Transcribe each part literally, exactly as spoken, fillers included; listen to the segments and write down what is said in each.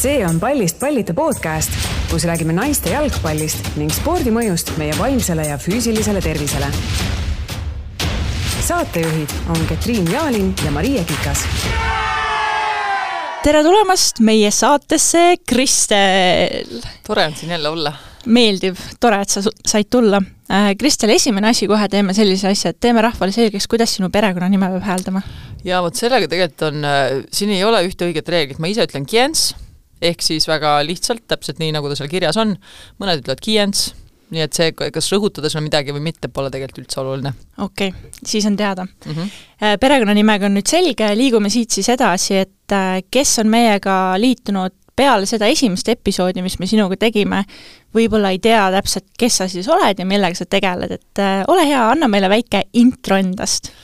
See on Pallist pallita podcast, kus räägime naiste jalgpallist ning spordimõjust meie vaimsele ja füüsilisele tervisele. Saatejuhid on Ketriin Jaalin ja Maria Kikas. Tere tulemast meie saatesse, Kristel! Tore on siin jälle olla. Meeldiv, tore, et sa said tulla. Kristel, esimene asi kohe teeme sellise asja, et teeme rahvale selgeks, kuidas sinu perekonna nime peab hääldama. Ja vot sellega tegelikult on, siin ei ole ühte õiget reeglit. Ma ise ütlen Kiens, ehk siis väga lihtsalt, täpselt nii, nagu ta seal kirjas on. Mõned ütlevad Kiens, nii et see, kas rõhutada seal midagi või mitte, pole tegelikult üldse oluline. Okei, okay, siis on teada. Mm-hmm. Perekonna nimega on nüüd selge, liigume siit siis edasi, et kes on meiega liitunud peale seda esimest episoodi, mis me sinuga tegime, võib-olla ei tea täpselt, kes sa siis oled ja millega sa tegeled, et ole hea, anna meile väike intro endast.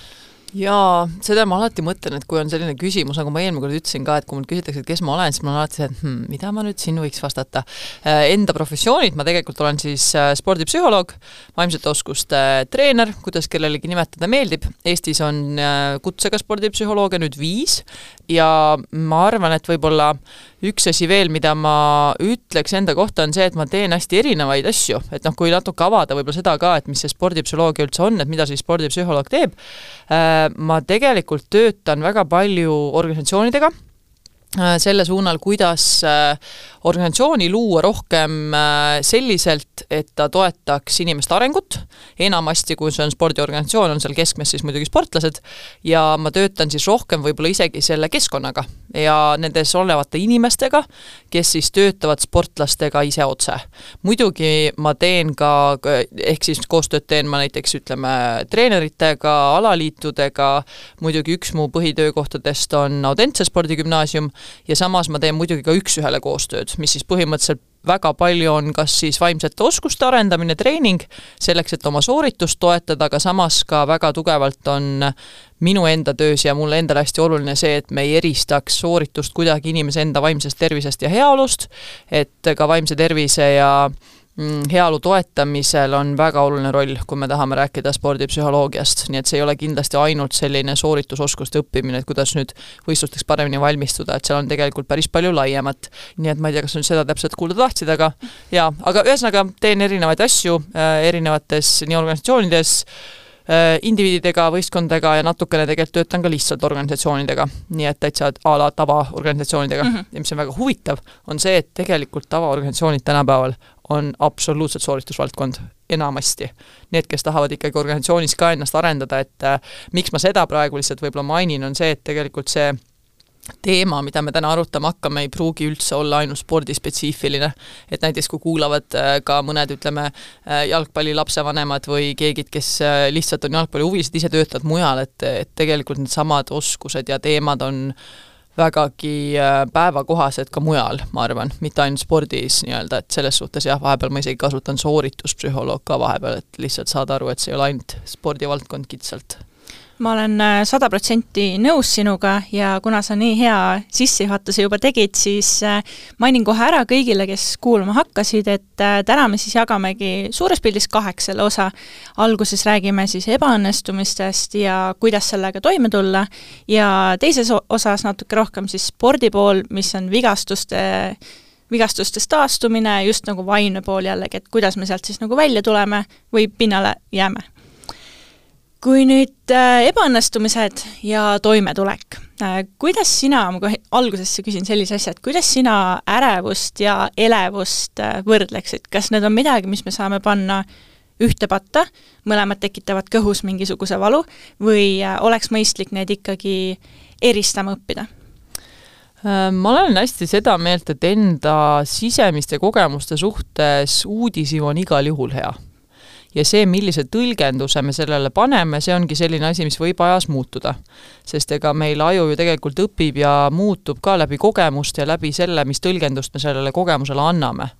Jaa, seda ma alati mõtlen, et kui on selline küsimus, nagu ma eelmine kord ütlesin ka, et kui mul küsitakse, et kes ma olen, siis ma olen alati see, et hmm, mida ma nüüd siin võiks vastata. Enda professioonid, ma tegelikult olen siis spordipsühholoog, vaimsete oskuste treener, kuidas kellelegi nimetada meeldib. Eestis on kutsega spordipsühholoogia nüüd viis ja ma arvan, et võib-olla üks asi veel, mida ma ütleks enda kohta, on see, et ma teen hästi erinevaid asju. Et noh, kui natuke avada võib-olla seda ka, et mis see spordipsühholoogia üldse on, et mida siis spordipsühholoog teeb, ma tegelikult töötan väga palju organisatsioonidega selle suunal, kuidas organisatsiooni luua rohkem selliselt, et ta toetaks inimeste arengut. Enamasti, kui see on spordiorganisatsioon, on seal keskmes siis muidugi sportlased ja ma töötan siis rohkem võib-olla isegi selle keskkonnaga ja nendes olevate inimestega, kes siis töötavad sportlastega ise otse. Muidugi ma teen ka, ehk siis koostööd teen ma näiteks ütleme treeneritega, alaliitudega, muidugi üks mu põhitöökohtadest on Audentse spordigümnaasium ja samas ma teen muidugi ka üks-ühele koostööd, mis siis põhimõtteliselt väga palju on kas siis vaimsete oskuste arendamine, treening, selleks, et oma sooritust toetada, aga samas ka väga tugevalt on minu enda töös ja mulle endale hästi oluline see, et me ei eristaks sooritust kuidagi inimese enda vaimsest tervisest ja heaolust, et ka vaimse tervise ja heaolu toetamisel on väga oluline roll, kui me tahame rääkida spordipsühholoogiast, nii et see ei ole kindlasti ainult selline sooritusoskuste õppimine, et kuidas nüüd võistlusteks paremini valmistuda, et seal on tegelikult päris palju laiemat. Nii et ma ei tea, kas on seda täpselt kuulda tahtsid, aga jaa, aga ühesõnaga teen erinevaid asju erinevates nii organisatsioonides, indiviididega, võistkondadega ja natukene tegelikult töötan ka lihtsalt organisatsioonidega, nii et täitsa a la tavaorganisatsioonidega. Mm-hmm. Ja mis on väga huvitav, on see, et tegelikult tavaorganisatsioonid tänapäeval on absoluutselt sooritusvaldkond enamasti. Need, kes tahavad ikkagi organisatsioonis ka ennast arendada, et äh, miks ma seda praegu lihtsalt võib-olla mainin, on see, et tegelikult see teema, mida me täna arutama hakkame, ei pruugi üldse olla ainult spordispetsiifiline. Et näiteks kui kuulavad ka mõned, ütleme, jalgpalli lapsevanemad või keegid, kes lihtsalt on jalgpalli huvilised, ise töötavad mujal, et, et tegelikult need samad oskused ja teemad on vägagi päevakohased ka mujal, ma arvan, mitte ainult spordis nii-öelda, et selles suhtes jah, vahepeal ma isegi kasutan soorituspsühholoog ka vahepeal, et lihtsalt saad aru, et see ei ole ainult spordivaldkond kitsalt. Ma olen sada protsenti nõus sinuga ja kuna sa nii hea sissejuhatuse juba tegid, siis mainin kohe ära kõigile, kes kuulama hakkasid, et täna me siis jagamegi suures pildis kaheks selle osa. Alguses räägime siis ebaõnnestumistest ja kuidas sellega toime tulla ja teises osas natuke rohkem siis spordi pool, mis on vigastuste vigastustest taastumine, just nagu vaimne pool jällegi, et kuidas me sealt siis nagu välja tuleme või pinnale jääme. Kui nüüd ebaõnnestumised ja toimetulek, kuidas sina, ma algusesse küsin sellise asja, et kuidas sina ärevust ja elevust võrdleksid? Kas need on midagi, mis me saame panna ühte patta, mõlemad tekitavad kõhus mingisuguse valu või oleks mõistlik need ikkagi eristama õppida? Ma olen hästi seda meelt, et enda sisemiste kogemuste suhtes uudishimu on igal juhul hea. Ja see, millise tõlgenduse me sellele paneme, see ongi selline asi, mis võib ajas muutuda. Sest ega meil aju ju tegelikult õpib ja muutub ka läbi kogemust ja läbi selle, mis tõlgendust me sellele kogemusele anname.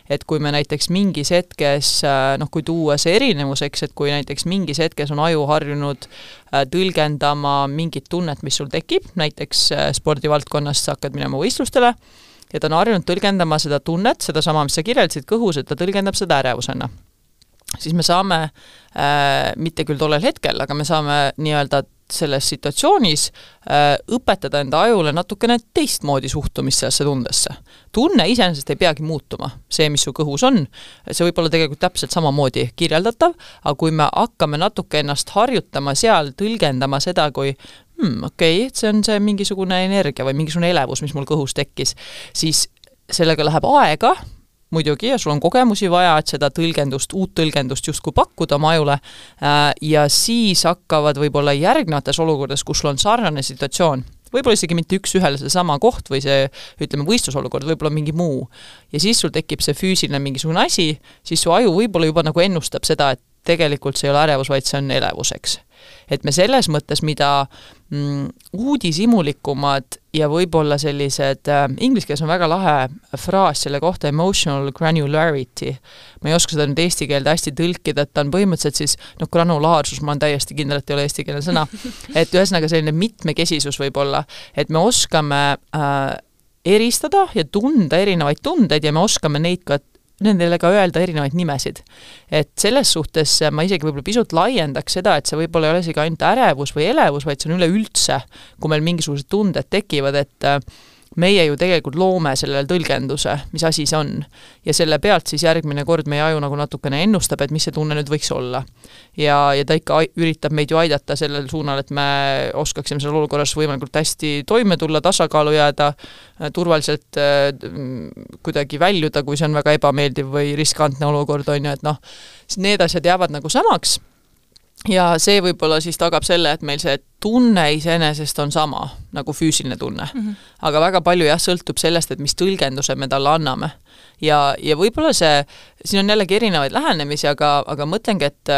Et kui me näiteks mingis hetkes, noh kui tuua see erinevuseks, et kui näiteks mingis hetkes on aju harjunud tõlgendama mingit tunnet, mis sul tekib, näiteks spordivaldkonnas sa hakkad minema võistlustele, ja ta on harjunud tõlgendama seda tunnet, seda sama, mis sa kirjeldasid kõhus, et ta tõlgendab seda ärevusena. Siis me saame, äh, mitte küll tollel hetkel, aga me saame nii-öelda selles situatsioonis äh, õpetada enda ajule natukene teistmoodi suhtumist sellesse tundesse. Tunne iseenesest ei peagi muutuma, see, mis su kõhus on, see võib olla tegelikult täpselt samamoodi kirjeldatav, aga kui me hakkame natuke ennast harjutama seal, tõlgendama seda, kui hmm, okei, okay, see on see mingisugune energia või mingisugune elevus, mis mul kõhus tekkis, siis sellega läheb aega, muidugi, ja sul on kogemusi vaja, et seda tõlgendust, uut tõlgendust justkui pakkuda oma ajule ja siis hakkavad võib-olla järgnevates olukordades, kus sul on sarnane situatsioon, võib-olla isegi mitte üks ühele see sama koht või see, ütleme, võistlusolukord, võib-olla mingi muu. Ja siis sul tekib see füüsiline mingisugune asi, siis su aju võib-olla juba nagu ennustab seda, et tegelikult see ei ole ärevus, vaid see on elevuseks. Et me selles mõttes, mida mm, uudisimulikumad ja võib-olla sellised, äh, inglise keeles on väga lahe fraas selle kohta emotional granularity. Ma ei oska seda nüüd eesti keelde hästi tõlkida, et ta on põhimõtteliselt siis, noh, granulaarsus, ma olen täiesti kindel, et ei ole eesti keele sõna, et ühesõnaga selline mitmekesisus võib-olla, et me oskame äh, eristada ja tunda erinevaid tundeid ja me oskame neid ka nendele ka öelda erinevaid nimesid. Et selles suhtes ma isegi võib-olla pisut laiendaks seda, et see võib-olla ei ole isegi ainult ärevus või elevus, vaid see on üleüldse, kui meil mingisugused tunded tekivad, et meie ju tegelikult loome sellele tõlgenduse, mis asi see on. Ja selle pealt siis järgmine kord meie aju nagu natukene ennustab, et mis see tunne nüüd võiks olla. Ja, ja ta ikka üritab meid ju aidata sellel suunal, et me oskaksime selle olukorras võimalikult hästi toime tulla, tasakaalu jääda, turvaliselt äh, kuidagi väljuda, kui see on väga ebameeldiv või riskantne olukord on ju, et noh, need asjad jäävad nagu samaks. Ja see võib-olla siis tagab selle, et meil see tunne iseenesest on sama, nagu füüsiline tunne. Mm-hmm. Aga väga palju jah sõltub sellest, et mis tõlgenduse me talle anname. Ja, ja võib-olla see, siin on jällegi erinevaid lähenemisi, aga, aga mõtlengi, et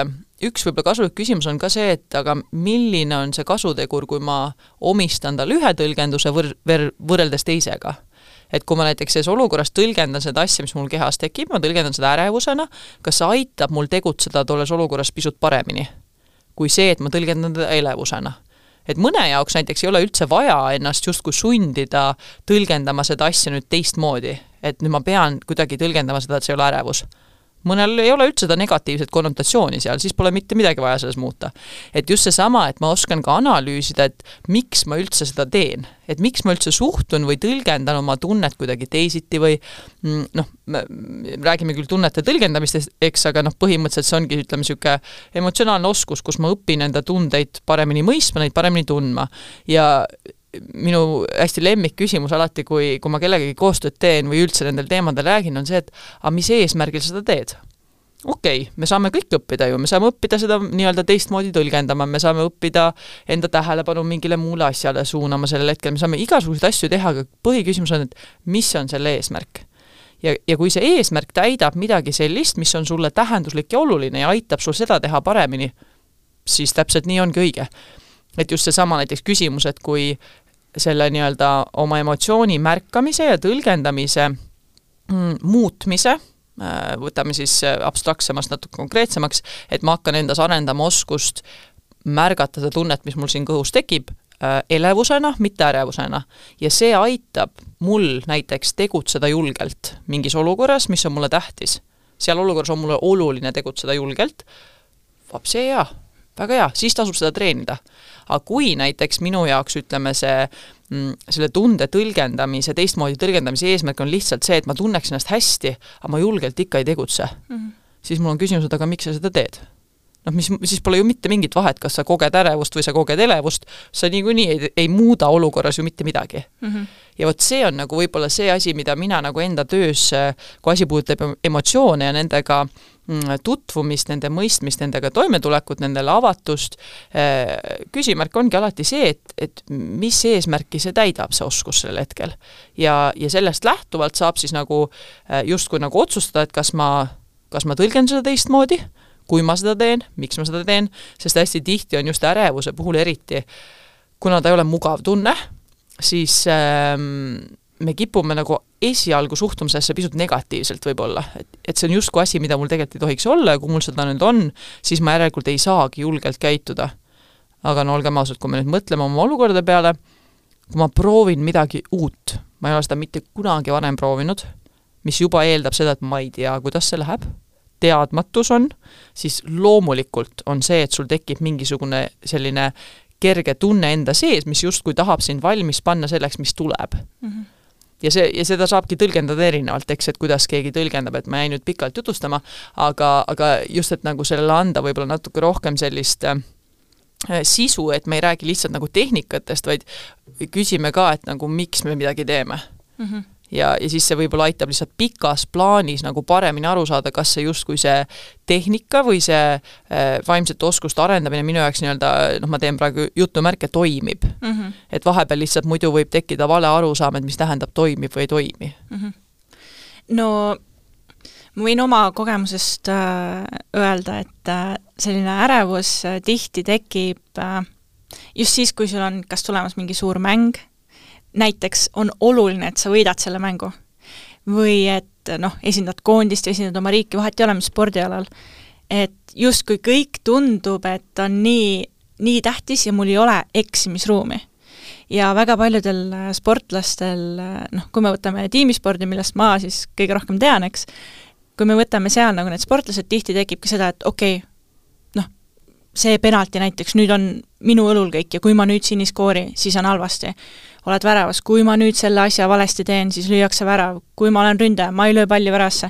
üks võib-olla kasulik küsimus on ka see, et aga milline on see kasutegur, kui ma omistan tal ühe tõlgenduse võr- võr- võrreldes teisega. Et kui ma näiteks selles olukorras tõlgendan seda asja, mis mul kehas tekib, ma tõlgendan seda ärevusena, kas see aitab mul tegutseda tolles olukorras pisut paremini kui see, et ma tõlgendan teda elevusena. Et mõne jaoks näiteks ei ole üldse vaja ennast justkui sundida tõlgendama seda asja nüüd teistmoodi, et nüüd ma pean kuidagi tõlgendama seda, et see ei ole ärevus. Mõnel ei ole üldse seda negatiivset konnotatsiooni seal, siis pole mitte midagi vaja selles muuta. Et just see sama, et ma oskan ka analüüsida, et miks ma üldse seda teen. Et miks ma üldse suhtun või tõlgendan oma tunnet kuidagi teisiti või noh, räägime küll tunnete tõlgendamist, eks, aga noh, põhimõtteliselt see ongi, ütleme, siuke emotsionaalne oskus, kus ma õpin enda tundeid paremini mõistma, neid paremini tundma. Ja minu hästi lemmik küsimus alati, kui, kui ma kellegagi koostööd teen või üldse nendel teemadel räägin, on see, et a, mis eesmärgil seda teed? Okei, okay, me saame kõik õppida ju, me saame õppida seda nii-öelda teistmoodi tõlgendama, me saame õppida enda tähelepanu mingile muule asjale suunama sellel hetkel, me saame igasuguseid asju teha, aga põhiküsimus on, et mis on selle eesmärk? Ja, ja kui see eesmärk täidab midagi sellist, mis on sulle tähenduslik ja oluline ja aitab sul seda teha paremini, siis täpselt nii ongi õige. Et just see sama näiteks küsimus, et kui selle nii-öelda oma emotsiooni märkamise ja tõlgendamise mm, muutmise, võtame siis abstraktsemast natuke konkreetsemaks, et ma hakkan endas arendama oskust märgata seda tunnet, mis mul siin kõhus tekib, elevusena, mitte ärevusena. Ja see aitab mul näiteks tegutseda julgelt mingis olukorras, mis on mulle tähtis. Seal olukorras on mulle oluline tegutseda julgelt. Vab see hea, väga hea, siis tasub seda treenida. Aga kui näiteks minu jaoks, ütleme, see, selle tunde tõlgendamise, teistmoodi tõlgendamise eesmärk on lihtsalt see, et ma tunneks ennast hästi, aga ma julgelt ikka ei tegutse, mm-hmm. siis mul on küsimus, aga miks sa seda teed? Noh, mis, siis pole ju mitte mingit vahet, kas sa koged ärevust või sa koged elevust, sa niikuinii ei, ei muuda olukorras ju mitte midagi. Mm-hmm. Ja vot see on nagu võib-olla see asi, mida mina nagu enda töös, kui asi puudutab emotsioone ja nendega tutvumist, nende mõistmist, nendega toimetulekut, nendele avatust. Küsimärk ongi alati see, et, et mis eesmärki see täidab, see oskus sellel hetkel. Ja, ja sellest lähtuvalt saab siis nagu justkui nagu otsustada, et kas ma, kas ma tõlgen seda teistmoodi, kui ma seda teen, miks ma seda teen, sest hästi tihti on just ärevuse puhul eriti, kuna ta ei ole mugav tunne, siis ähm, me kipume nagu esialgu suhtumisesse pisut negatiivselt võib-olla, et, et see on justkui asi, mida mul tegelikult ei tohiks olla ja kui mul seda nüüd on, siis ma järelikult ei saagi julgelt käituda. Aga no olgem ausad, kui me nüüd mõtleme oma olukordade peale, kui ma proovin midagi uut, ma ei ole seda mitte kunagi varem proovinud, mis juba eeldab seda, et ma ei tea, kuidas see läheb, teadmatus on, siis loomulikult on see, et sul tekib mingisugune selline kerge tunne enda sees, mis justkui tahab sind valmis panna selleks, mis tuleb. Mm-hmm. Ja, see, ja seda saabki tõlgendada erinevalt, eks, et kuidas keegi tõlgendab, et ma jäin nüüd pikalt jutustama, aga, aga just, et nagu sellele anda võib-olla natuke rohkem sellist äh, sisu, et me ei räägi lihtsalt nagu tehnikatest, vaid küsime ka, et nagu miks me midagi teeme. Mm-hmm. Ja, ja siis see võib-olla aitab lihtsalt pikas plaanis nagu paremini aru saada, kas see justkui see tehnika või see äh, vaimsete oskuste arendamine minu jaoks nii-öelda, noh, ma teen praegu jutumärke, toimib. Mm-hmm. Et vahepeal lihtsalt muidu võib tekkida vale arusaam, et mis tähendab toimib või ei toimi. Mm-hmm. No ma võin oma kogemusest äh, öelda, et äh, selline ärevus äh, tihti tekib äh, just siis, kui sul on kas tulemas mingi suur mäng, näiteks on oluline, et sa võidad selle mängu. Või et noh, esindad koondist ja esindad oma riiki, vahet ei ole, mis spordialal. Et just kui kõik tundub, et on nii, nii tähtis ja mul ei ole eksimisruumi. Ja väga paljudel sportlastel, noh, kui me võtame tiimispordi, millest ma siis kõige rohkem tean, eks, kui me võtame seal nagu need sportlased, tihti tekibki seda, et okei, okay, noh, see penalti näiteks, nüüd on minu õlul kõik ja kui ma nüüd siin ei skoori, siis on halvasti. Oled väravas, kui ma nüüd selle asja valesti teen, siis lüüakse värav, kui ma olen ründaja, ma ei löö palli värasse.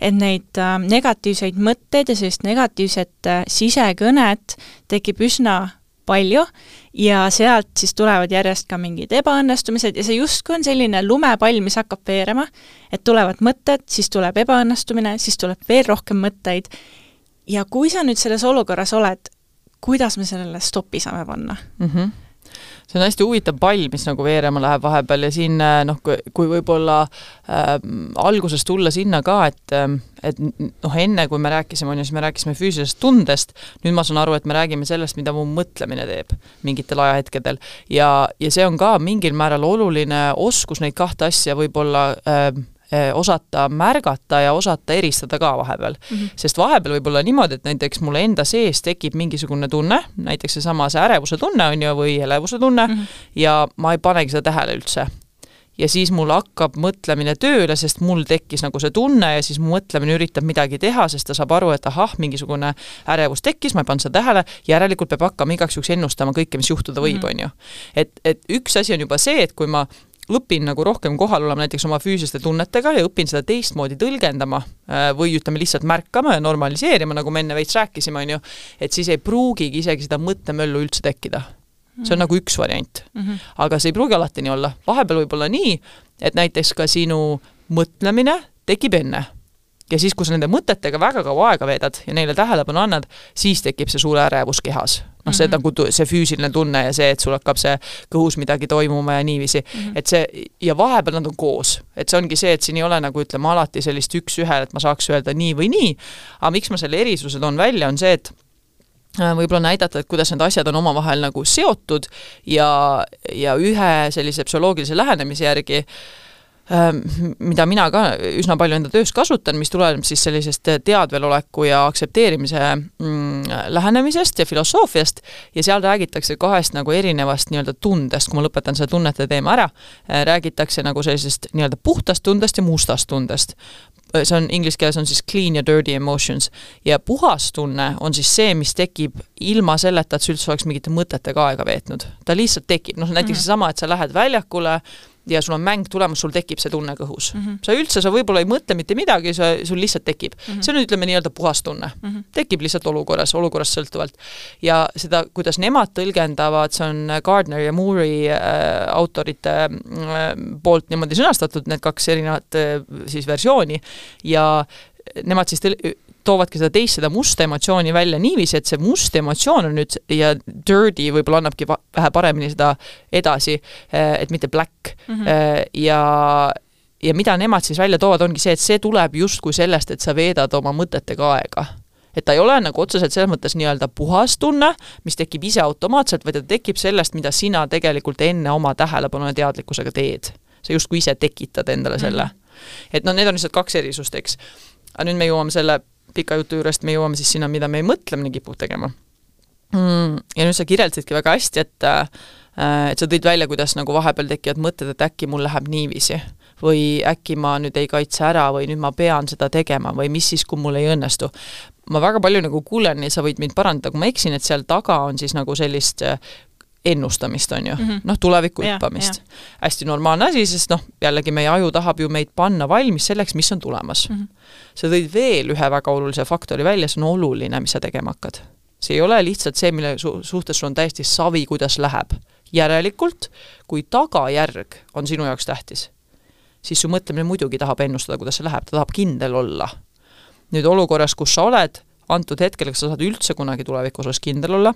Et neid äh, negatiivseid mõtteid ja sellist negatiivset äh, sisekõnet tekib üsna palju ja sealt siis tulevad järjest ka mingid ebaõnnestumised ja see justkui on selline lumepall, mis hakkab veerema, et tulevad mõtted, siis tuleb ebaõnnestumine, siis tuleb veel rohkem mõtteid ja kui sa nüüd selles olukorras oled, kuidas me sellele stopi saame panna? Mhm. See on hästi huvitav pall, mis nagu veerema läheb vahepeal ja siin, noh, kui, kui võib-olla äh, alguses tulla sinna ka, et, et noh, enne kui me rääkisime, on ju, siis me rääkisime füüsilisest tundest, nüüd ma saan aru, et me räägime sellest, mida mu mõtlemine teeb mingitel ajahetkedel ja, ja see on ka mingil määral oluline oskus neid kahte asja võib-olla äh, osata märgata ja osata eristada ka vahepeal. Mm-hmm. Sest vahepeal võib olla niimoodi, et näiteks mulle enda sees tekib mingisugune tunne, näiteks see sama see ärevuse tunne on ju, või elevuse tunne, mm-hmm. ja ma ei panegi seda tähele üldse. Ja siis mul hakkab mõtlemine tööle, sest mul tekkis nagu see tunne ja siis mu mõtlemine üritab midagi teha, sest ta saab aru, et ahah, mingisugune ärevus tekkis, ma ei pannud seda tähele, järelikult peab hakkama igaks juhuks ennustama kõike, mis juhtuda võib, mm-hmm. on ju. Et, et üks asi on juba see, et kui ma õpin nagu rohkem kohal olema näiteks oma füüsiliste tunnetega ja õpin seda teistmoodi tõlgendama või ütleme lihtsalt märkama ja normaliseerima, nagu me enne veits rääkisime, on ju, et siis ei pruugigi isegi seda mõttemöllu üldse tekkida. See on nagu üks variant. Mm-hmm. Aga see ei pruugi alati nii olla. Vahepeal võib olla nii, et näiteks ka sinu mõtlemine tekib enne. Ja siis, kui sa nende mõtetega väga kaua aega veedad ja neile tähelepanu annad, siis tekib see suure ärevus kehas. Noh, see, mm-hmm. nagu see füüsiline tunne ja see, et sul hakkab see kõhus midagi toimuma ja niiviisi. Mm-hmm. Et see, ja vahepeal nad on koos. Et see ongi see, et siin ei ole nagu ütleme alati sellist üks ühel, et ma saaks öelda nii või nii. Aga miks ma selle erisuse toon välja, on see, et võib-olla näidata, et kuidas need asjad on omavahel nagu seotud ja, ja ühe sellise psühholoogilise lähenemise järgi mida mina ka üsna palju enda töös kasutan, mis tuleb siis sellisest teadveloleku ja aktsepteerimise mm, lähenemisest ja filosoofiast ja seal räägitakse kahest nagu erinevast nii-öelda tundest, kui ma lõpetan selle tunnete teema ära, räägitakse nagu sellisest nii-öelda puhtast tundest ja mustast tundest. See on inglise keeles on siis clean ja dirty emotions ja puhas tunne on siis see, mis tekib ilma selleta, et see üldse oleks mingite mõtetega aega veetnud. Ta lihtsalt tekib, noh näiteks mm-hmm. sama, et sa lähed väljakule ja sul on mäng tulemas, sul tekib see tunne kõhus. Mm-hmm. Sa üldse, sa võib-olla ei mõtle mitte midagi, sa, sul lihtsalt tekib. Mm-hmm. See on, ütleme, nii-öelda puhas tunne. Mm-hmm. Tekib lihtsalt olukorras, olukorras sõltuvalt. Ja seda, kuidas nemad tõlgendavad, see on Gardner ja Moore'i äh, autorite äh, poolt niimoodi sõnastatud, need kaks erinevat äh, siis versiooni ja nemad siis tõl- toovadki seda teist, seda musta emotsiooni välja niiviisi, et see must emotsioon on nüüd ja dirty võib-olla annabki vähe paremini seda edasi, et mitte black. Mm-hmm. Ja, ja mida nemad siis välja toovad, ongi see, et see tuleb justkui sellest, et sa veedad oma mõtetega aega. Et ta ei ole nagu otseselt selles mõttes nii-öelda puhas tunne, mis tekib ise automaatselt, vaid ta tekib sellest, mida sina tegelikult enne oma tähelepanu ja teadlikkusega teed. Sa justkui ise tekitad endale selle. Mm-hmm. Et no need on lihtsalt kaks erisust, eks. Aga nüüd me jõuame selle pika jutu juurest, me jõuame siis sinna, mida me ei mõtlemine kipub tegema. Mm, ja nüüd sa kirjeldasidki väga hästi, et, et sa tõid välja, kuidas nagu vahepeal tekivad mõtted, et äkki mul läheb niiviisi või äkki ma nüüd ei kaitse ära või nüüd ma pean seda tegema või mis siis, kui mul ei õnnestu. Ma väga palju nagu kuulen ja sa võid mind parandada, kui ma eksin, et seal taga on siis nagu sellist ennustamist on ju, mm -hmm. noh, tuleviku hüppamist. Hästi normaalne asi, sest noh, jällegi meie aju tahab ju meid panna valmis selleks, mis on tulemas. Mm -hmm. sa tõid veel ühe väga olulise faktori välja, see on oluline, mis sa tegema hakkad. See ei ole lihtsalt see, mille su suhtes sul on täiesti savi, kuidas läheb. Järelikult, kui tagajärg on sinu jaoks tähtis, siis su mõtlemine muidugi tahab ennustada, kuidas see läheb, ta tahab kindel olla. Nüüd olukorras, kus sa oled, antud hetkel, kas sa saad üldse kunagi tulevikus osas kindel olla,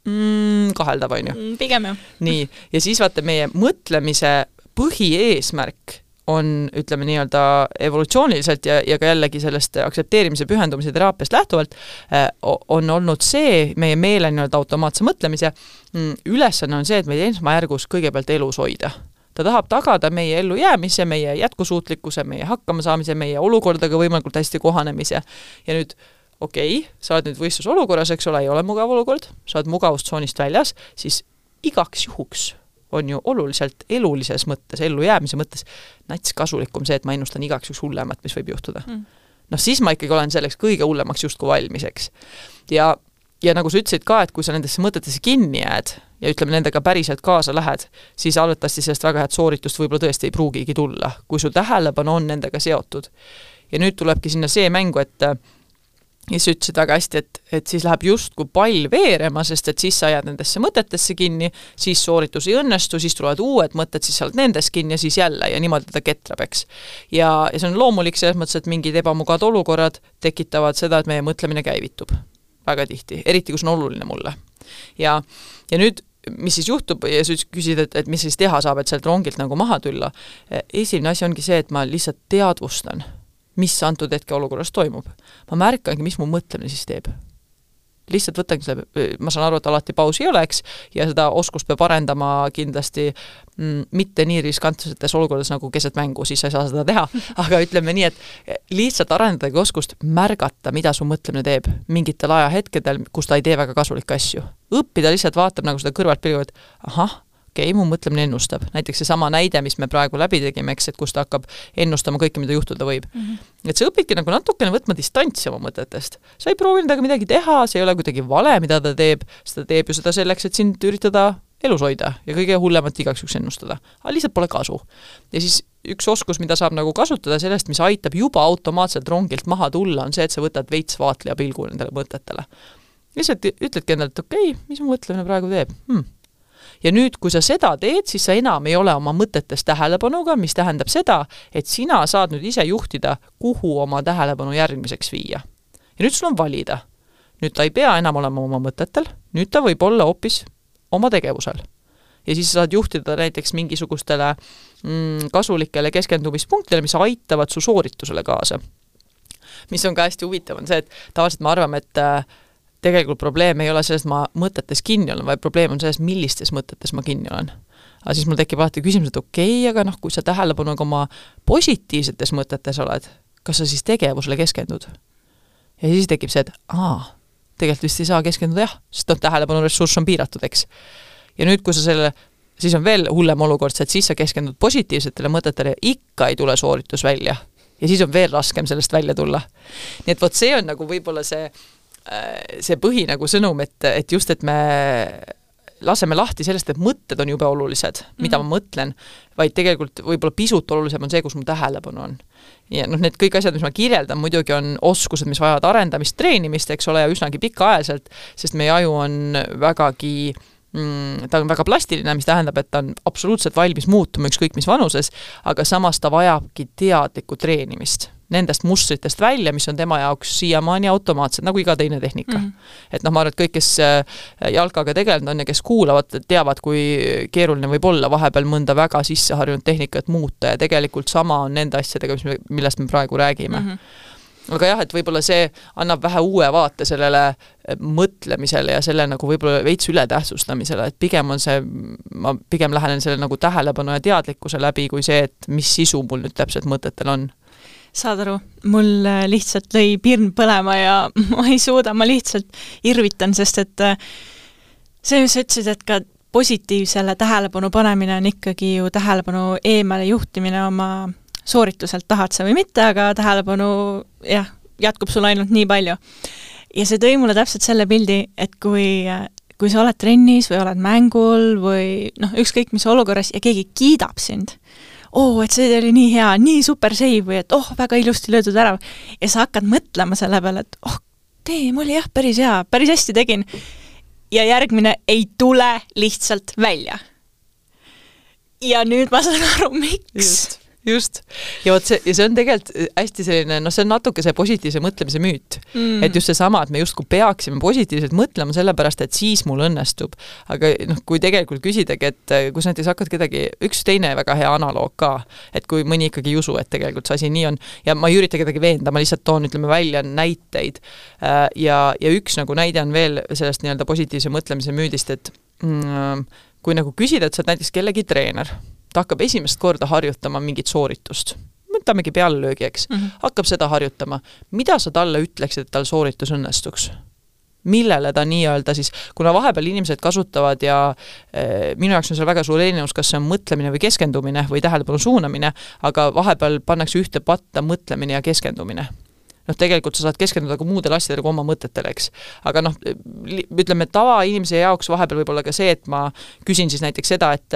mm, kaheldav on ju. Pigem ju. Nii, ja siis vaata meie mõtlemise põhieesmärk on, ütleme nii-öelda evolutsiooniliselt ja, ja ka jällegi sellest aksepteerimise pühendumise teraapiast lähtuvalt äh, on olnud see, meie meele nii-öelda automaatse mõtlemise mm, ülesanne on see, et meie esmajärgus kõigepealt elus hoida. Ta tahab tagada meie ellu jäämise, meie jätkusuutlikkuse, meie hakkamasaamise, meie olukordadega võimalikult hästi kohanemise. Ja nüüd, okei, okay, sa oled nüüd võistlusolukorras, eks ole, ei ole mugav olukord, sa oled mugavustsoonist väljas, siis igaks juhuks on ju oluliselt elulises mõttes, ellu jäämise mõttes nats kasulikum see, et ma ennustan igaks üks hullemat, mis võib juhtuda. Mm. noh, siis ma ikkagi olen selleks kõige hullemaks justkui valmiseks. Ja, ja nagu sa ütlesid ka, et kui sa nendesse mõtetesse kinni jääd ja ütleme nendega päriselt kaasa lähed, siis arvatavasti sellest väga head sooritust võib-olla tõesti ei pruugigi tulla, kui sul tähelepanu on nendega seotud. Ja nüüd tulebki sinna see mängu, et ja sa ütlesid väga hästi, et, et siis läheb justkui pall veerema, sest et siis sa jääd nendesse mõtetesse kinni, siis sooritus ei õnnestu, siis tulevad uued mõtted, siis sa oled nendes kinni ja siis jälle ja niimoodi ta ketrab, eks. Ja, ja see on loomulik selles mõttes, et mingid ebamugavad olukorrad tekitavad seda, et meie mõtlemine käivitub väga tihti, eriti kus on oluline mulle. Ja, ja nüüd, mis siis juhtub ja sa küsid, et, et mis siis teha saab, et sealt rongilt nagu maha tulla. Esimene asi ongi see, et ma lihtsalt teadvustan, mis antud hetke olukorras toimub. Ma märkangi, mis mu mõtlemine siis teeb. Lihtsalt võtangi selle, ma saan aru, et alati pausi ei oleks ja seda oskust peab arendama kindlasti mm, mitte nii riskantsetes olukordades nagu keset mängu, siis sa ei saa seda teha, aga ütleme nii, et lihtsalt arendadagi oskust märgata, mida su mõtlemine teeb mingitel ajahetkedel, kus ta ei tee väga kasulikke asju. Õppida lihtsalt vaatab nagu seda kõrvalt pilgu, et ahah, okei, mu mõtlemine ennustab. Näiteks see sama näide, mis me praegu läbi tegime, eks, et kus ta hakkab ennustama kõike, mida juhtuda võib. Mm -hmm. Et sa õpidki nagu natukene võtma distantsi oma mõtetest. Sa ei proovi nendega midagi teha, see ei ole kuidagi vale, mida ta teeb, seda teeb ju seda selleks, et sind üritada elus hoida ja kõige hullemat igaks üks ennustada. Aga lihtsalt pole kasu. Ja siis üks oskus, mida saab nagu kasutada sellest, mis aitab juba automaatselt rongilt maha tulla, on see, et sa võtad veits vaatleja pilgu nendele mõtetele. Lihtsalt ütledki endale, et okei, okay, mis mu mõtlemine praegu teeb? Hmm. Ja nüüd, kui sa seda teed, siis sa enam ei ole oma mõtetes tähelepanuga, mis tähendab seda, et sina saad nüüd ise juhtida, kuhu oma tähelepanu järgmiseks viia. Ja nüüd sul on valida. Nüüd ta ei pea enam olema oma mõtetel, nüüd ta võib olla hoopis oma tegevusel. Ja siis saad juhtida näiteks mingisugustele mm, kasulikele keskendumispunktidele, mis aitavad su sooritusele kaasa. Mis on ka hästi huvitav, on see, et tavaliselt me arvame, et tegelikult probleem ei ole selles, et ma mõtetes kinni olen, vaid probleem on selles, millistes mõtetes ma kinni olen. Aga siis mul tekib alati küsimus, et okei, okay, aga noh, kui sa tähelepanu oma positiivsetes mõtetes oled, kas sa siis tegevusele keskendud? Ja siis tekib see, et aa, tegelikult vist ei saa keskenduda jah, sest noh, tähelepanu ressurss on piiratud, eks. Ja nüüd, kui sa selle, siis on veel hullem olukord, et siis sa keskendud positiivsetele mõtetele ja ikka ei tule sooritus välja. Ja siis on veel raskem sellest välja tulla. Nii et vot see on nagu võib-olla see see põhi nagu sõnum, et, et just, et me laseme lahti sellest, et mõtted on jube olulised, mida mm-hmm. ma mõtlen, vaid tegelikult võib-olla pisut olulisem on see, kus mu tähelepanu on. Ja noh, need kõik asjad, mis ma kirjeldan, muidugi on oskused, mis vajavad arendamist, treenimist, eks ole, ja üsnagi pikaaegselt, sest meie aju on vägagi mm, ta on väga plastiline, mis tähendab, et ta on absoluutselt valmis muutuma ükskõik mis vanuses, aga samas ta vajabki teadlikku treenimist nendest mustritest välja, mis on tema jaoks siiamaani automaatsed, nagu iga teine tehnika. Mm -hmm. Et noh, ma arvan, et kõik, kes jalkaga tegelenud on ja kes kuulavad, teavad, kui keeruline võib olla vahepeal mõnda väga sisseharjunud tehnikat muuta ja tegelikult sama on nende asjadega, millest me praegu räägime. Mm -hmm. Aga jah, et võib-olla see annab vähe uue vaate sellele mõtlemisele ja selle nagu võib-olla veits ületähtsustamisele, et pigem on see, ma pigem lähenen selle nagu tähelepanu ja teadlikkuse läbi kui see, et mis sisu mul nüüd täpselt mõtetel on. Saad aru, mul lihtsalt lõi pirn põlema ja ma ei suuda, ma lihtsalt irvitan, sest et see, mis sa ütlesid, et ka positiivsele tähelepanu panemine on ikkagi ju tähelepanu eemale juhtimine oma soorituselt, tahad sa või mitte, aga tähelepanu jah, jätkub sul ainult nii palju. Ja see tõi mulle täpselt selle pildi, et kui, kui sa oled trennis või oled mängul või noh, ükskõik mis olukorras ja keegi kiidab sind, oo, et see oli nii hea, nii super save või et oh, väga ilusti löödud ära ja sa hakkad mõtlema selle peale, et oh, teem oli jah, päris hea, päris hästi tegin ja järgmine ei tule lihtsalt välja. Ja nüüd ma saan aru, miks. Just. Just. Ja, võt see, ja see on tegelikult hästi selline, no see on natuke see positiivse mõtlemise müüt. Mm. Et just see sama, et me just kui peaksime positiivselt mõtlema sellepärast, et siis mul õnnestub. Aga noh, kui tegelikult küsidagi, et kui sa näiteks hakkad kedagi, üks teine väga hea analoog ka, et kui mõni ikkagi ei usu, et tegelikult see asi nii on, ja ma ei ürita kedagi veenda, ma lihtsalt toon, ütleme, välja näiteid. Ja, ja üks nagu näide on veel sellest nii-öelda positiivse mõtlemise müüdist, et mm, kui nagu küsida, et sa oled näiteks kellegi treener, ta hakkab esimest korda harjutama mingit sooritust. Mõtlamegi pealelöögi, eks. Mm-hmm. Hakkab seda harjutama. Mida sa talle ütleksid, et tal sooritus õnnestuks? Millele ta nii-öelda siis, kuna vahepeal inimesed kasutavad ja e, minu jaoks on seal väga suur erinevus, kas see on mõtlemine või keskendumine või tähelepanu suunamine, aga vahepeal pannakse ühte patta mõtlemine ja keskendumine. Noh, tegelikult sa saad keskenduda ka muudele asjadele kui oma mõtetele, eks. Aga noh, ütleme, tava inimese jaoks vahepeal võib olla ka see, et ma küsin siis näiteks seda, et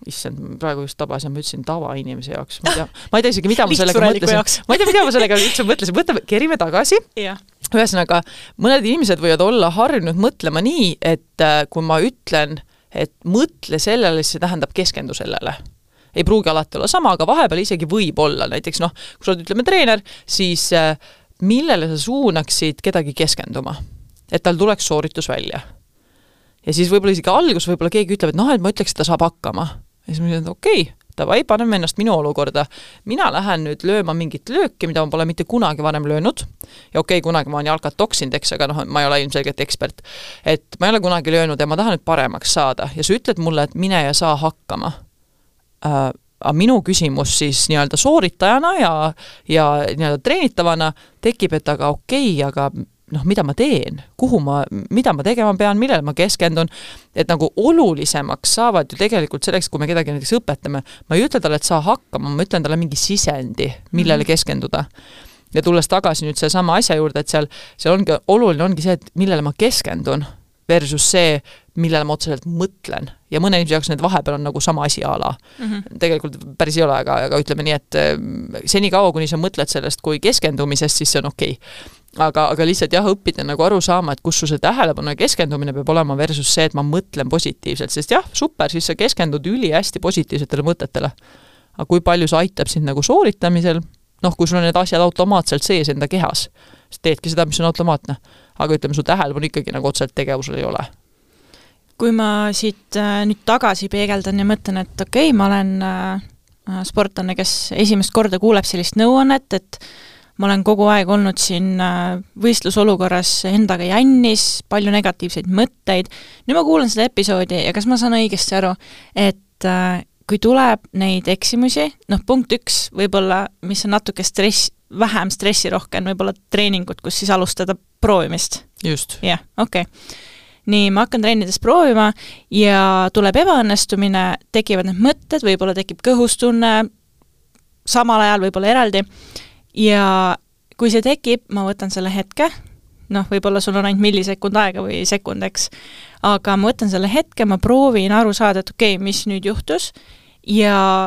issand, praegu just tabas ja ma ütlesin tava inimese jaoks. Ma ei tea, ma ei tea isegi, mida ma sellega mõtlesin. Ma ei tea, mida ma sellega üldse mõtlesin. Võtame, kerime tagasi. Ja. Ühesõnaga, mõned inimesed võivad olla harjunud mõtlema nii, et kui ma ütlen, et mõtle sellele, siis see tähendab keskendu sellele. Ei pruugi alati olla sama, aga vahepeal isegi võib olla. Näiteks, noh, kui sa oled, ütleme, treener, siis millele sa suunaksid kedagi keskenduma, et tal tuleks sooritus välja. Ja siis võib-olla isegi algus võib-olla keegi ütleb, et noh, et ma ütleks, et ta saab hakkama. Ja siis ma ütlen, et okei, davai, paneme ennast minu olukorda. Mina lähen nüüd lööma mingit lööki, mida ma pole mitte kunagi varem löönud. Ja okei, kunagi ma olen jalkat toksinud, eks, aga noh, ma ei ole ilmselgelt ekspert. Et ma ei ole kunagi löönud ja ma tahan nüüd paremaks saada. Ja sa ütled mulle, et mine ja saa hakkama. Äh, aga minu küsimus siis nii-öelda sooritajana ja, ja nii-öelda treenitavana tekib, et aga okei, aga noh, mida ma teen, kuhu ma, mida ma tegema pean, millele ma keskendun, et nagu olulisemaks saavad ju tegelikult selleks, kui me kedagi näiteks õpetame, ma ei ütle talle, et saa hakkama, ma ütlen talle mingi sisendi, millele mm-hmm. keskenduda. Ja tulles tagasi nüüd see sama asja juurde, et seal, seal ongi, oluline ongi see, et millele ma keskendun versus see, millele ma otseselt mõtlen. Ja mõne inimese jaoks need vahepeal on nagu sama asi ala. Mm-hmm. Tegelikult päris ei ole, aga, aga ütleme nii, et seni kaua, kuni sa mõtled sellest kui keskendumisest, siis see on okei. Aga, aga lihtsalt jah, õppida nagu aru saama, et kus su see tähelepanu ja keskendumine peab olema versus see, et ma mõtlen positiivselt, sest jah, super, siis sa keskendud üli hästi positiivsetele mõtetele. Aga kui palju sa aitab sind nagu sooritamisel, noh, kui sul on need asjad automaatselt sees enda kehas, siis teedki seda, mis on automaatne. Aga ütleme, su tähelepanu ikkagi nagu otseselt tegevusel ei ole. Kui ma siit äh, nüüd tagasi peegeldan ja mõtlen, et okei, okay, ma olen äh, sportlane, kes esimest korda kuuleb sellist nõuannet, et ma olen kogu aeg olnud siin äh, võistlusolukorras endaga jännis, palju negatiivseid mõtteid. Nüüd ma kuulen seda episoodi ja kas ma saan õigesti aru, et äh, kui tuleb neid eksimusi, noh, punkt üks võib-olla, mis on natuke stress, vähem stressirohken, võib-olla treeningut, kus siis alustada proovimist. Just. Jah, okei. Okay. Nii, ma hakkan treenides proovima ja tuleb ebaõnnestumine, tekivad need mõtted, võib-olla tekib kõhustunne, samal ajal võib-olla eraldi ja kui see tekib, ma võtan selle hetke, noh, võib-olla sul on ainult millisekund aega või sekundeks, aga ma võtan selle hetke, ma proovin aru saada, et okei, okay, mis nüüd juhtus ja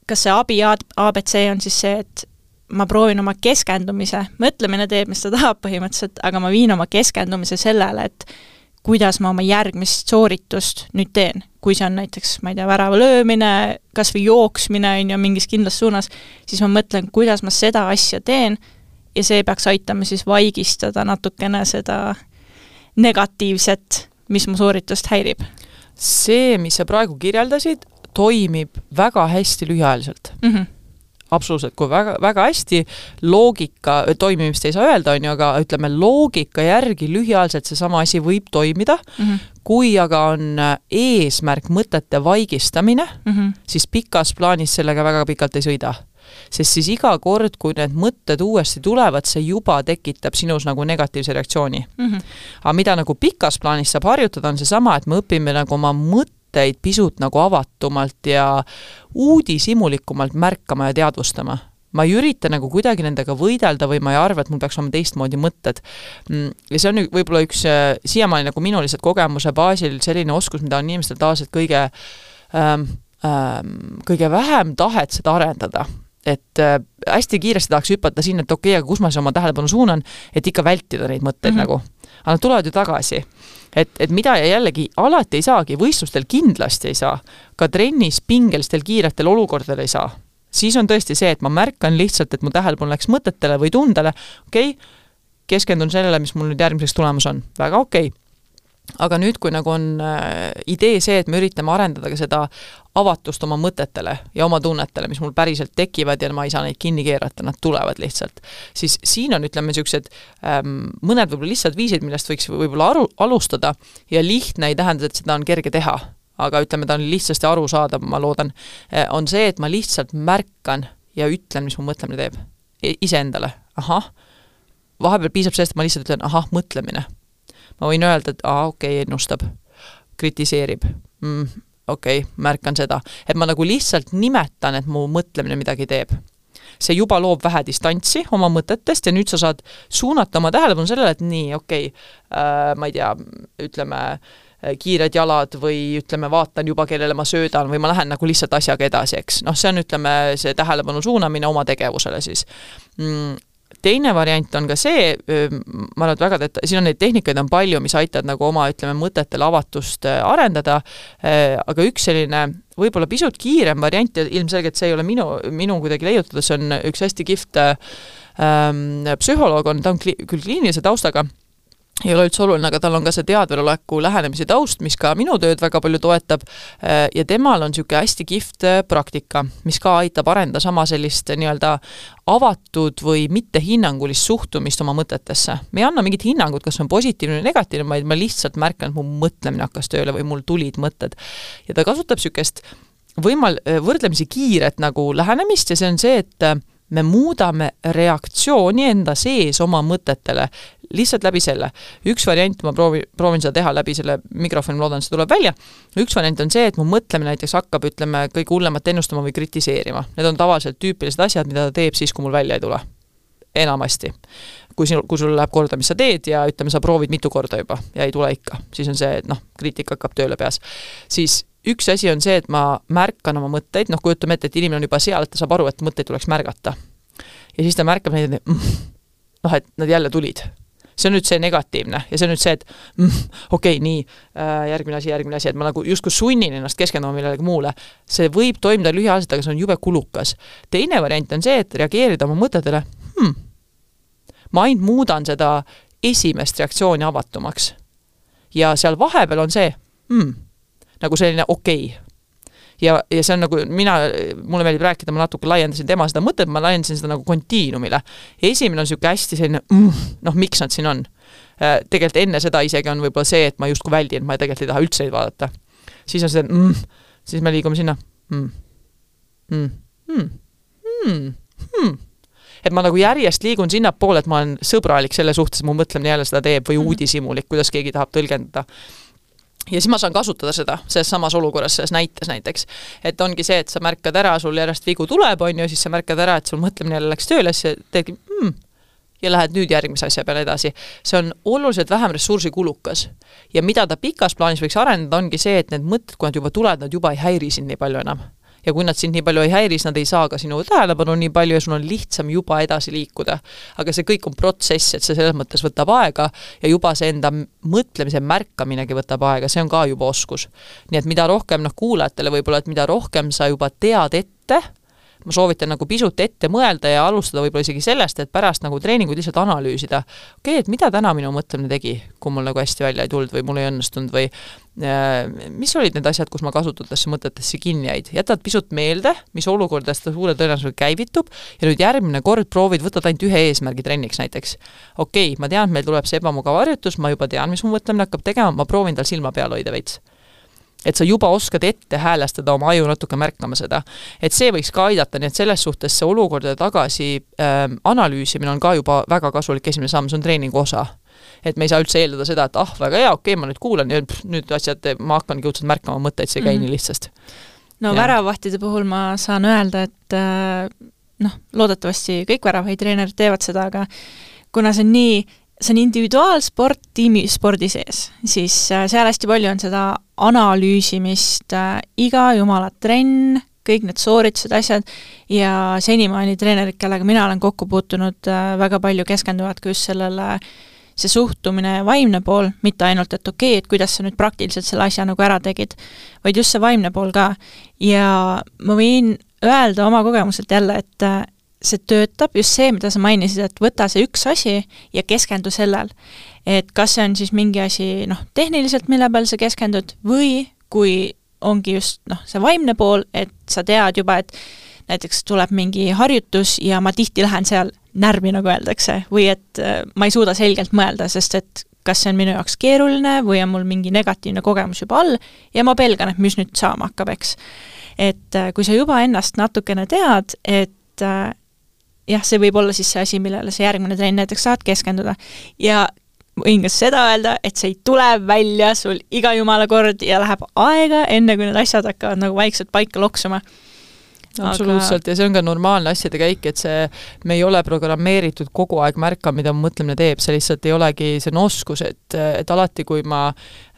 kas see abi A B C on siis see, et ma proovin oma keskendumise, mõtlemine teeb, mis ta tahab põhimõtteliselt, aga ma viin oma keskendumise sellele, et kuidas ma oma järgmist sooritust nüüd teen. Kui see on näiteks, ma ei tea, värava löömine, kas või jooksmine on ju mingis kindlas suunas, siis ma mõtlen, kuidas ma seda asja teen ja see peaks aitama siis vaigistada natukene seda negatiivset, mis mu sooritust häirib. See, mis sa praegu kirjeldasid, toimib väga hästi lühiajaliselt. Mhm. Absoluutselt, kui väga, väga hästi loogika, toimimist ei saa öelda, on ju, aga ütleme loogika järgi lühiajaliselt see sama asi võib toimida, mm-hmm. kui aga on eesmärk mõtete vaigistamine, mm-hmm. siis pikas plaanis sellega väga pikalt ei sõida. Sest siis iga kord, kui need mõtted uuesti tulevad, see juba tekitab sinus nagu negatiivse reaktsiooni. Mm-hmm. Aga mida nagu pikas plaanis saab harjutada, on see sama, et me õpime nagu oma mõtteid pisut nagu avatumalt ja uudishimulikumalt märkama ja teadvustama. ma ei ürita nagu kuidagi nendega võidelda või ma ei arva, et mul peaks olema teistmoodi mõtted. Ja see on võib-olla üks siiamaani nagu minu lihtsalt kogemuse baasil selline oskus, mida on inimestel taas, et kõige, ähm, ähm, kõige vähem tahet seda arendada. Et äh, hästi kiiresti tahaks hüpata sinna, et okei, aga kus ma see oma tähelepanu suunan, et ikka vältida neid mõtteid mm-hmm. nagu. Aga nad tulevad ju tagasi. Et, et mida jällegi alati ei saagi, võistlustel kindlasti ei saa, ka trennis pingelistel kiiretel olukordadel ei saa. Siis on tõesti see, et ma märkan lihtsalt, et mu tähelepanu läks mõtetele või tundele, okei, keskendun sellele, mis mul nüüd järgmiseks tulemus on. Väga okei. Aga nüüd, kui nagu on äh, idee see, et me üritame arendada ka seda avatust oma mõtetele ja oma tunnetele, mis mul päriselt tekivad ja ma ei saa neid kinni keerata, nad tulevad lihtsalt. Siis siin on, ütleme, niisugused ähm, mõned võib-olla lihtsalt viisid, millest võiks võib-olla aru, alustada ja lihtne ei tähenda, et seda on kerge teha. Aga ütleme, ta on lihtsasti aru saada, ma loodan, on see, et ma lihtsalt märkan ja ütlen, mis mu mõtlemine teeb. Iseendale. Ahah. Vahepeal piisab sellest, et ma lihtsalt ütlen, ahah, mõtlemine. Ma võin öelda, et aa, okei, ennustab, kritiseerib, mm, okei, märkan seda. Et ma nagu lihtsalt nimetan, et mu mõtlemine midagi teeb. See juba loob vähe distantsi oma mõtetest ja nüüd sa saad suunata oma tähelepanu sellele, et nii, okei, äh, ma ei tea, ütleme, kiired jalad või ütleme, vaatan juba, kellele ma söödan või ma lähen nagu lihtsalt asjaga edasi, eks. Noh, see on, ütleme, see tähelepanu suunamine oma tegevusele siis. Mm, teine variant on ka see, ma arvan, et väga teeta, siin on neid tehnikaid on palju, mis aitavad nagu oma, ütleme, mõtetele avatust arendada, aga üks selline võib-olla pisut kiirem variant ja ilmselgelt see ei ole minu, minu kuidagi leiutada, see on üks hästi kift ähm, psühholoog on, ta on kli, küll kliinilise taustaga, ei ole üldse oluline, aga tal on ka see teadveloleku lähenemise taust, mis ka minu tööd väga palju toetab ja temal on niisugune hästi kift praktika, mis ka aitab arenda sama sellist nii-öelda avatud või mittehinnangulist suhtumist oma mõtetesse. Me ei anna mingit hinnangut, kas on positiivne või negatiivne, vaid ma lihtsalt märkan, et mu mõtlemine hakkas tööle või mul tulid mõtted. Ja ta kasutab niisugust võimal, võrdlemisi kiiret nagu lähenemist ja see on see, et me muudame reaktsiooni enda sees oma mõtetele lihtsalt läbi selle. Üks variant, ma proovin, proovin seda teha läbi selle mikrofoni, loodan, see tuleb välja. Üks variant on see, et mu mõtlemine näiteks hakkab, ütleme, kõige hullemat ennustama või kritiseerima. Need on tavaliselt tüüpilised asjad, mida ta teeb siis, kui mul välja ei tule. Enamasti. Kui, sinul, kui sul läheb korda, mis sa teed ja ütleme, sa proovid mitu korda juba ja ei tule ikka. Siis on see, et noh, kriitika hakkab tööle peas. Siis üks asi on see, et ma märkan oma mõtteid, noh, kujutame ette, et inimene on juba seal, et ta saab aru, et mõtteid tuleks märgata. Ja siis ta märkab neid, et mm, noh, et nad jälle tulid. See on nüüd see negatiivne ja see on nüüd see, et mm, okei, okay, nii, järgmine asi, järgmine asi, et ma nagu justkui sunnin ennast keskenduma millegi muule. See võib toimda lühiajaliselt, aga see on jube kulukas. Teine variant on see, et reageerida oma mõtetele, hmm, ma ainult muudan seda esimest reaktsiooni avatumaks. Ja seal vahepeal on see, hmm, nagu selline okei. Okay. Ja, ja see on nagu, mina, mulle meeldib rääkida, ma natuke laiendasin tema seda mõtet, ma laiendasin seda nagu kontiinumile. Esimene on siuke hästi selline, mm, noh, miks nad siin on? Tegelikult enne seda isegi on võib-olla see, et ma justkui väldin, ma tegelikult ei taha üldse neid vaadata. Siis on see, mm, siis me liigume sinna. Mm, mm, mm, mm, mm. Et ma nagu järjest liigun sinna poole, et ma olen sõbralik selle suhtes, mu mõtlemine jälle seda teeb või uudisimulik, kuidas keegi tahab tõlgendada. Ja siis ma saan kasutada seda, selles samas olukorras, selles näites näiteks. Et ongi see, et sa märkad ära, sul järjest vigu tuleb, on ju, siis sa märkad ära, et sul mõtlemine jälle läks tööle, siis teedki, mm, ja lähed nüüd järgmise asja peale edasi. See on oluliselt vähem ressursi kulukas. Ja mida ta pikas plaanis võiks arendada, ongi see, et need mõtted, kui nad juba tulevad, nad juba ei häiri sind nii palju enam. Ja kui nad sind nii palju ei häiri, nad ei saa ka sinu tähelepanu nii palju ja sul on lihtsam juba edasi liikuda. Aga see kõik on protsess, et see selles mõttes võtab aega ja juba see enda mõtlemise märkaminegi võtab aega, see on ka juba oskus. Nii et mida rohkem noh, kuulajatele võib-olla, et mida rohkem sa juba tead ette, ma soovitan nagu pisut ette mõelda ja alustada võib-olla isegi sellest, et pärast nagu treeninguid lihtsalt analüüsida. Okei, okay, et mida täna minu mõtlemine tegi, kui mul nagu hästi välja ei tulnud või mul ei õnnestunud või äh, mis olid need asjad, kus ma kasutatasse mõtetesse kinni jäid. Jätad pisut meelde, mis olukordast ta suure tõenäosusega käivitub ja nüüd järgmine kord proovid võtad ainult ühe eesmärgi trenniks näiteks. Okei, okay, ma tean, et meil tuleb see ebamugav harjutus, ma juba tean, mis mu mõtlemine hakkab tegema, ma proovin tal silma peal hoida veits. Et sa juba oskad ette häälestada oma aju natuke märkama seda. Et see võiks ka aidata, nii et selles suhtes see olukordade tagasi ähm, analüüsimine on ka juba väga kasulik esimene samm, see on treeningu osa. Et me ei saa üldse eeldada seda, et ah, väga hea, okei, okay, ma nüüd kuulan ja pff, nüüd asjad, ma hakkangi õudselt märkama mõtteid, see käi mm-hmm. nii lihtsast. No ja. Väravahtide puhul ma saan öelda, et äh, noh, loodetavasti kõik väravahitreenerid teevad seda, aga kuna see on nii, see on individuaalsport tiimispordi sees, siis seal hästi palju on seda analüüsimist, iga jumala trenn, kõik need sooritused, asjad ja senimaani treenerid, kellega mina olen kokku puutunud, väga palju keskenduvad ka just sellele see suhtumine ja vaimne pool, mitte ainult, et okei, et kuidas sa nüüd praktiliselt selle asja nagu ära tegid, vaid just see vaimne pool ka. Ja ma võin öelda oma kogemuselt jälle, et see töötab, just see, mida sa mainisid, et võta see üks asi ja keskendu sellel. Et kas see on siis mingi asi, noh, tehniliselt, mille peal sa keskendud või kui ongi just noh, see vaimne pool, et sa tead juba, et näiteks tuleb mingi harjutus ja ma tihti lähen seal närvi, nagu öeldakse, või et ma ei suuda selgelt mõelda, sest et kas see on minu jaoks keeruline või on mul mingi negatiivne kogemus juba all ja ma pelgan, et mis nüüd saama hakkab, eks. Et kui sa juba ennast natukene tead, et jah, see võib olla siis see asi, millele sa järgmine trenn näiteks saad keskenduda ja võin ka seda öelda, et see ei tule välja sul iga jumala kord ja läheb aega, enne kui need asjad hakkavad nagu vaikselt paika loksuma. Absoluutselt, ja see on ka normaalne asjade käik, et see, me ei ole programmeeritud kogu aeg märka, mida mu mõtlemine teeb, see lihtsalt ei olegi, see on oskus, et, et alati, kui ma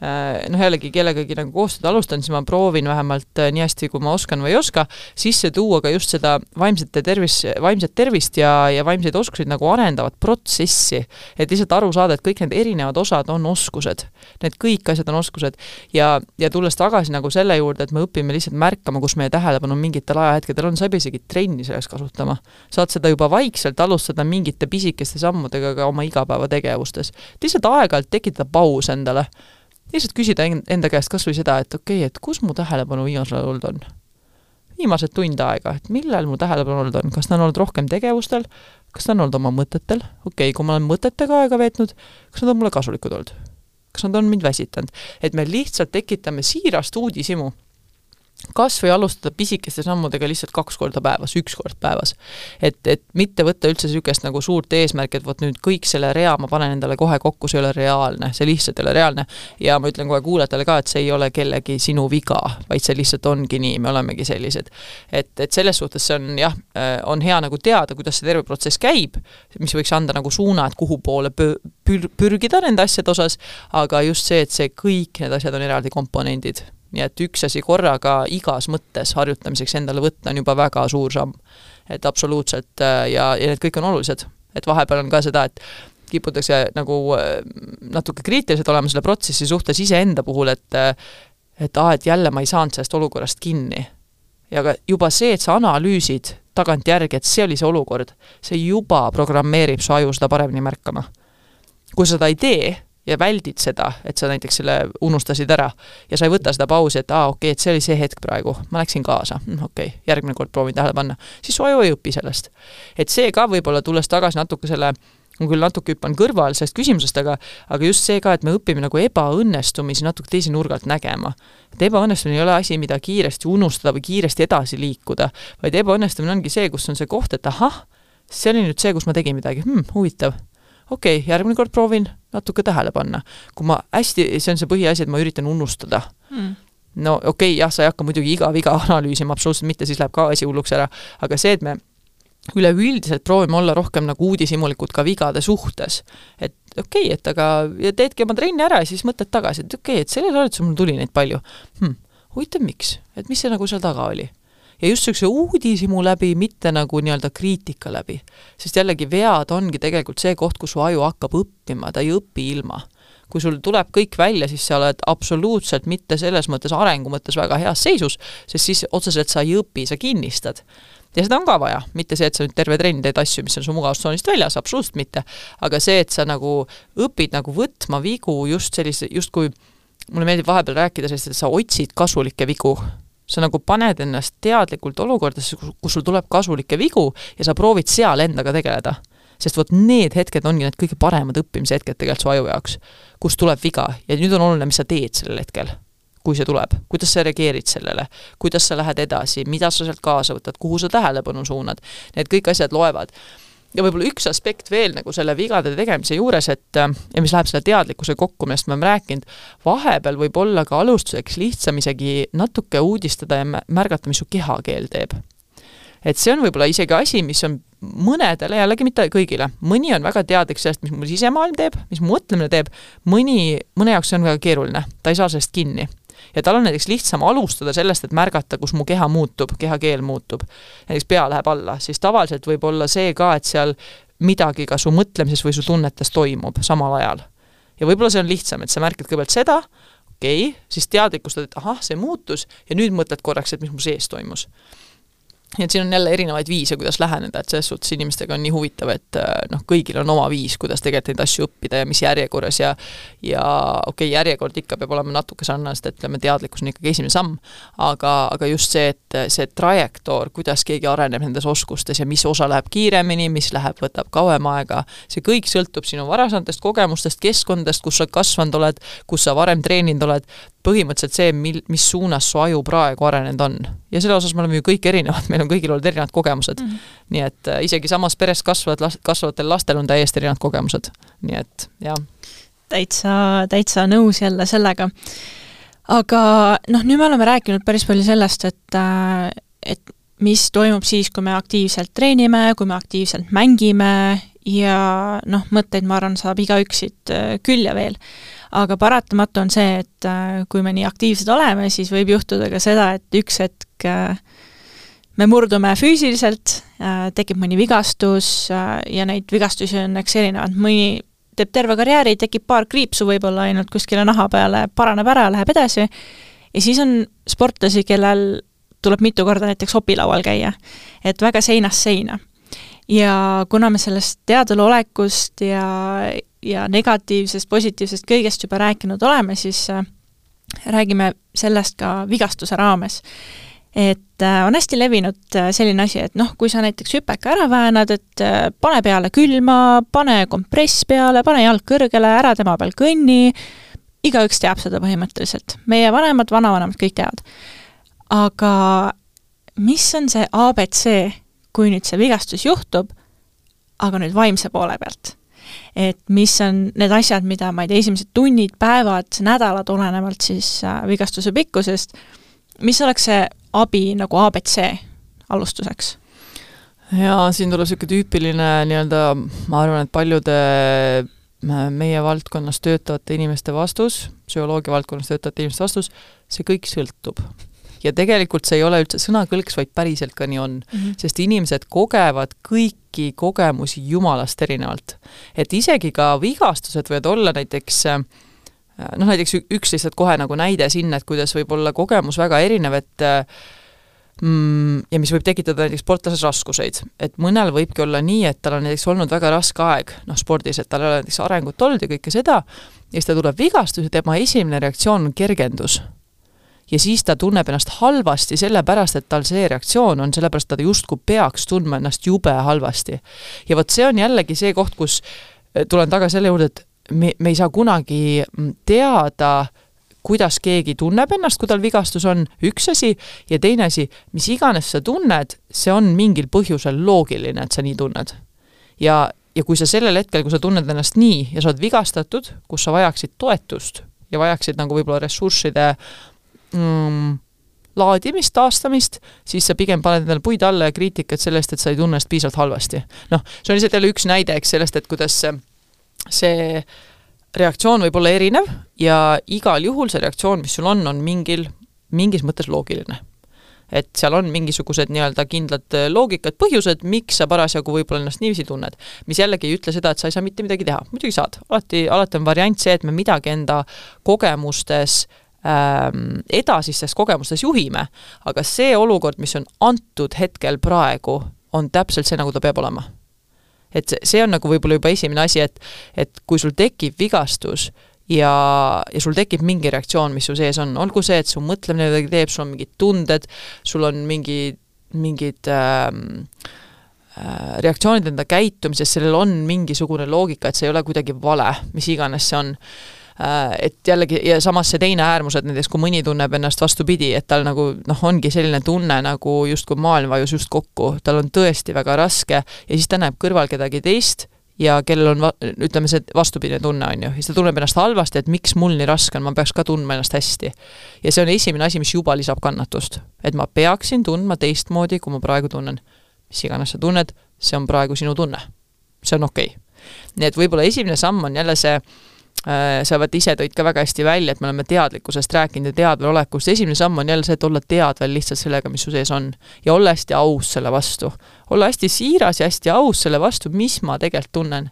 noh, jällegi kellegagi nagu koostööd alustan, siis ma proovin vähemalt nii hästi, kui ma oskan või ei oska, sisse tuua ka just seda vaimset tervis, vaimset tervist ja, ja vaimseid oskuseid nagu arendavat protsessi, et lihtsalt aru saada, et kõik need erinevad osad on oskused. Need kõik asjad on oskused ja, ja tulles tagasi nagu selle juurde, et me õpime lihtsalt märkama, kus meie tähelepanu mingitel ajahetkedel on, sa ei pea isegi trenni selleks kasutama. Saad seda juba vaikselt alustada mingite pisikeste sammudega ka oma igapäeva tegevustes. Lihtsalt aeg-ajalt tekitada paus endale. Lihtsalt küsida enda käest kas või seda, et okei, okay, et kus mu tähelepanu viimasel olnud on? Viimased tund aega, et millal mu tähelepanu olnud on? Kas ta on olnud rohkem tegevustel? Kas ta on olnud oma mõtetel? Okei, okay, kui ma olen mõtetega aega veetnud, kas nad on mulle kasulikud olnud? Kas nad on mind väsitanud? Et me lihtsalt tekitame siirast uudisimu. Kas või alustada pisikeste sammudega lihtsalt kaks korda päevas, üks kord päevas. Et, et mitte võtta üldse sükest nagu suurt eesmärk, et võt nüüd kõik selle rea ma panen endale kohe kokku, see ei ole reaalne, see lihtsalt ei ole reaalne. Ja ma ütlen kohe kuulajatele ka, et see ei ole kellegi sinu viga, vaid see lihtsalt ongi nii, me olemegi sellised. Et, et selles suhtes see on, jah, on hea nagu teada, kuidas see terve protsess käib, mis võiks anda nagu suuna, et kuhu poole pür pürgida nende asjade osas, aga just see, et see kõik need asjad on eraldi komponendid. Nii et üks asi korraga igas mõttes harjutamiseks endale võtta on juba väga suur samm. Et absoluutselt ja, ja need kõik on olulised. Et vahepeal on ka seda, et kiputakse nagu natuke kriitilised olema selle protsessi suhtes ise enda puhul, et, et, ah, et jälle ma ei saanud sellest olukorrast kinni. Ja ka juba see, et sa analüüsid tagant järgi, et see oli see olukord, see juba programmeerib su aju seda paremini märkama. Kui sa seda ei tee, ja väldid seda, et sa näiteks selle unustasid ära ja sa ei võta seda pausi, et aa, okei, et see oli see hetk praegu, ma läksin kaasa, okei, järgmine kord proovin tähele panna, siis su aju ei õpi sellest. Et see ka võib-olla tulles tagasi natuke selle, ma küll natuke hüppan kõrval sellest küsimusest, aga, aga just see ka, et me õpime nagu ebaõnnestumisi natuke teisi nurgalt nägema. Et ebaõnnestumine ei ole asi, mida kiiresti unustada või kiiresti edasi liikuda, vaid ebaõnnestumine ongi see, kus on see koht, et ahah, see oli nüüd see, kus ma tegin midagi, hm, huvitav. Okei, okay, järgmine kord proovin natuke tähele panna. Kui ma hästi, see on see põhiasi, et ma üritan unustada. Mm. No okei, okay, jah, sa ei hakka muidugi iga viga analüüsima, absoluutselt mitte, siis läheb ka asi hulluks ära. Aga see, et me üleüldiselt proovime olla rohkem nagu uudishimulikud ka vigade suhtes. Et okei, okay, et aga ja teedki oma trenni ära ja siis mõtled tagasi, et okei, okay, et selle saadetus mul tuli neid palju. Hm, huvitav miks? Et mis see nagu seal taga oli? Ja just see uudisimu läbi, mitte nagu nii-öelda kriitika läbi. Sest jällegi vead ongi tegelikult see koht, kus su aju hakkab õppima, ta ei õpi ilma. Kui sul tuleb kõik välja, siis sa oled absoluutselt mitte selles mõttes arengu mõttes väga heas seisus, sest siis otseselt sa ei õpi, sa kinnistad. Ja seda on ka vaja, mitte see, et sa nüüd terve trenn teed asju, mis on su mugavustsoonist väljas, absoluutselt mitte. Aga see, et sa nagu õpid nagu võtma vigu just sellise, just kui mulle meeldib vahepeal rääkida sellist, et sa otsid kasulikke vigu. Sa nagu paned ennast teadlikult olukordades, kus sul tuleb kasulikke vigu ja sa proovid seal endaga tegeleda. Sest võt need hetked ongi need kõige paremad õppimise hetked tegelikult su aju jaoks, kus tuleb viga ja nüüd on oluline, mis sa teed sellel hetkel, kui see tuleb, kuidas sa reageerid sellele, kuidas sa lähed edasi, mida sa sealt kaasa võtad, kuhu sa tähelepanu suunad, need kõik asjad loevad. Ja võib-olla üks aspekt veel nagu selle vigade tegemise juures, et, ja mis läheb selle teadlikkuse kokku, millest me oleme rääkinud, vahepeal võib olla ka alustuseks lihtsam isegi natuke uudistada ja märgata, mis su kehakeel teeb. et see on võib-olla isegi asi, mis on mõnedele, jällegi mitte kõigile. Mõni on väga teadlik sellest, mis mu sisemaailm teeb, mis mu mõtlemine teeb, mõni, mõne jaoks see on väga keeruline. Ta ei saa sellest kinni. Ja tal on näiteks lihtsam alustada sellest, et märgata, kus mu keha muutub, kehakeel muutub. Näiteks pea läheb alla, siis tavaliselt võib olla see ka, et seal midagi ka su mõtlemises või su tunnetes toimub samal ajal. Ja võib-olla see on lihtsam, et sa märkad kõigepealt seda, okei, okay, siis teadlikustad, et ahah, see muutus ja nüüd mõtled korraks, et mis mu sees toimus. Ja et siin on jälle erinevaid viise, kuidas läheneda, et selles suhtes inimestega on nii huvitav, et noh, kõigil on oma viis, kuidas tegelikult neid asju õppida ja mis järjekorras ja ja okei, okay, järjekord ikka peab olema natuke sarnast, et ütleme, teadlikkus on ikkagi esimene samm, aga, aga just see, et see trajektoor, kuidas keegi areneb nendes oskustes ja mis osa läheb kiiremini, mis läheb, võtab kauem aega, see kõik sõltub sinu varasemast kogemustest, keskkondadest, kus sa kasvanud oled, kus sa varem treeninud oled, põhimõtteliselt see, mil, mis suunas su aju praegu arenenud on. Ja selle osas me oleme ju kõik erinevad, meil on kõigil olnud erinevad kogemused. Mm. Nii et äh, isegi samas peres kasvavad, kasvavatel lastel on täiesti erinevad kogemused. Nii et, jah. Täitsa, täitsa nõus jälle sellega. Aga noh, nüüd me oleme rääkinud päris palju sellest, et, äh, et mis toimub siis, kui me aktiivselt treenime, kui me aktiivselt mängime ja noh, mõtteid, ma arvan, saab igaüksid äh, küll ja veel. Aga paratamatu on see, et kui me nii aktiivsed oleme, siis võib juhtuda ka seda, et üks hetk me murdume füüsiliselt, tekib mõni vigastus ja neid vigastusi on eks erinevad. Mõni teeb terve karjääri, tekib paar kriipsu võib-olla ainult kuskile naha peale, paraneb ära, läheb edasi. Ja siis on sportlasi, kellel tuleb mitu korda näiteks opilaual käia, et väga seinast seina. Ja kuna me sellest teadalolekust ja ja negatiivsest, positiivsest kõigest juba rääkinud oleme, siis äh, räägime sellest ka vigastuse raames. Et äh, on hästi levinud äh, selline asi, et noh, kui sa näiteks hüpeka ära väänad, et äh, pane peale külma, pane kompress peale, pane jalg kõrgele, ära tema peal kõnni, igaüks teab seda põhimõtteliselt. Meie vanemad, vanavanemad kõik teavad. Aga mis on see A B C, kui nüüd see vigastus juhtub, aga nüüd vaimse poole pealt? Et mis on need asjad, mida ma ei tea, esimesed tunnid, päevad, nädalad olenevalt siis äh, vigastuse pikkusest, mis oleks see abi nagu A B C alustuseks? Ja siin tuleb selline tüüpiline nii-öelda, ma arvan, et paljude meie valdkonnas töötavate inimeste vastus, psühholoogia valdkonnas töötavate inimeste vastus, see kõik sõltub. Ja tegelikult see ei ole üldse sõnakõlks, vaid päriselt ka nii on. Mm-hmm. Sest inimesed kogevad kõiki kogemusi jumalast erinevalt. Et isegi ka vigastused võivad olla näiteks, noh näiteks üks lihtsalt kohe nagu näide sinna, et kuidas võib olla kogemus väga erinev, et mm, ja mis võib tekitada näiteks sportlases raskuseid. Et mõnel võibki olla nii, et tal on näiteks olnud väga raske aeg noh, spordis, et tal ei ole näiteks arengut olnud ja kõike seda, ja siis ta tuleb vigastus ja tema esimene reaktsioon on kergendus. Ja siis ta tunneb ennast halvasti sellepärast, et tal see reaktsioon on, sellepärast ta justkui peaks tundma ennast jube halvasti. Ja võt see on jällegi see koht, kus tulen taga selle juurde, et me, me ei saa kunagi teada, kuidas keegi tunneb ennast, kui tal vigastus on üks asi, ja teine asi, mis iganes sa tunned, see on mingil põhjusel loogiline, et sa nii tunned. Ja, ja kui sa sellel hetkel, kui sa tunned ennast nii ja sa oled vigastatud, kus sa vajaksid toetust ja vajaksid nagu võib-olla ressursside Mm, laadimist, taastamist, siis sa pigem paned endale puid alla ja kriitikat sellest, et sa ei tunne ennast piisavalt halvasti. Noh, see on lihtsalt jälle üks näide eks sellest, et kuidas see reaktsioon võib olla erinev ja igal juhul see reaktsioon, mis sul on, on mingil, mingis mõttes loogiline. Et seal on mingisugused nii-öelda kindlad loogikad, põhjused, miks sa parasjagu võib-olla ennast niiviisi tunned. Mis jällegi ei ütle seda, et sa ei saa mitte midagi teha. Muidugi saad. Alati, alati on variant see, et me midagi enda kogemustes edasistes kogemustes juhime, aga see olukord, mis on antud hetkel praegu, on täpselt see, nagu ta peab olema. Et see on nagu võib-olla juba esimene asi, et, et kui sul tekib vigastus ja, ja sul tekib mingi reaktsioon, mis su sees on, olgu see, et su mõtlemine midagi teeb, sul on mingid tunded, sul on mingi, mingid ähm, äh, reaktsioonid enda käitumises, sellel on mingisugune loogika, et see ei ole kuidagi vale, mis iganes see on. Et jällegi, ja samas see teine äärmus, et näiteks kui mõni tunneb ennast vastupidi, et tal nagu, noh, ongi selline tunne nagu just kui maailm vajus just kokku, tal on tõesti väga raske ja siis ta näeb kõrval kedagi teist ja kellel on, ütleme, see vastupidine tunne on ju, ja ta tunneb ennast halvasti, et miks mul nii raske on, ma peaks ka tundma ennast hästi. Ja see on esimene asi, mis juba lisab kannatust. Et ma peaksin tundma teistmoodi, kui ma praegu tunnen. Mis iganes sa tunned, see on praegu sinu tunne. See on okei. Nii et võib-olla esimene samm on jälle see, sa võt ise tõid ka väga hästi välja, et me oleme teadlikkusest rääkinud ja teadvel olekust. Esimene samm on jälle see, et olla teadvel lihtsalt sellega, mis su sees on. Ja olla hästi aus selle vastu. Olla hästi siiras ja hästi aus selle vastu, mis ma tegelikult tunnen.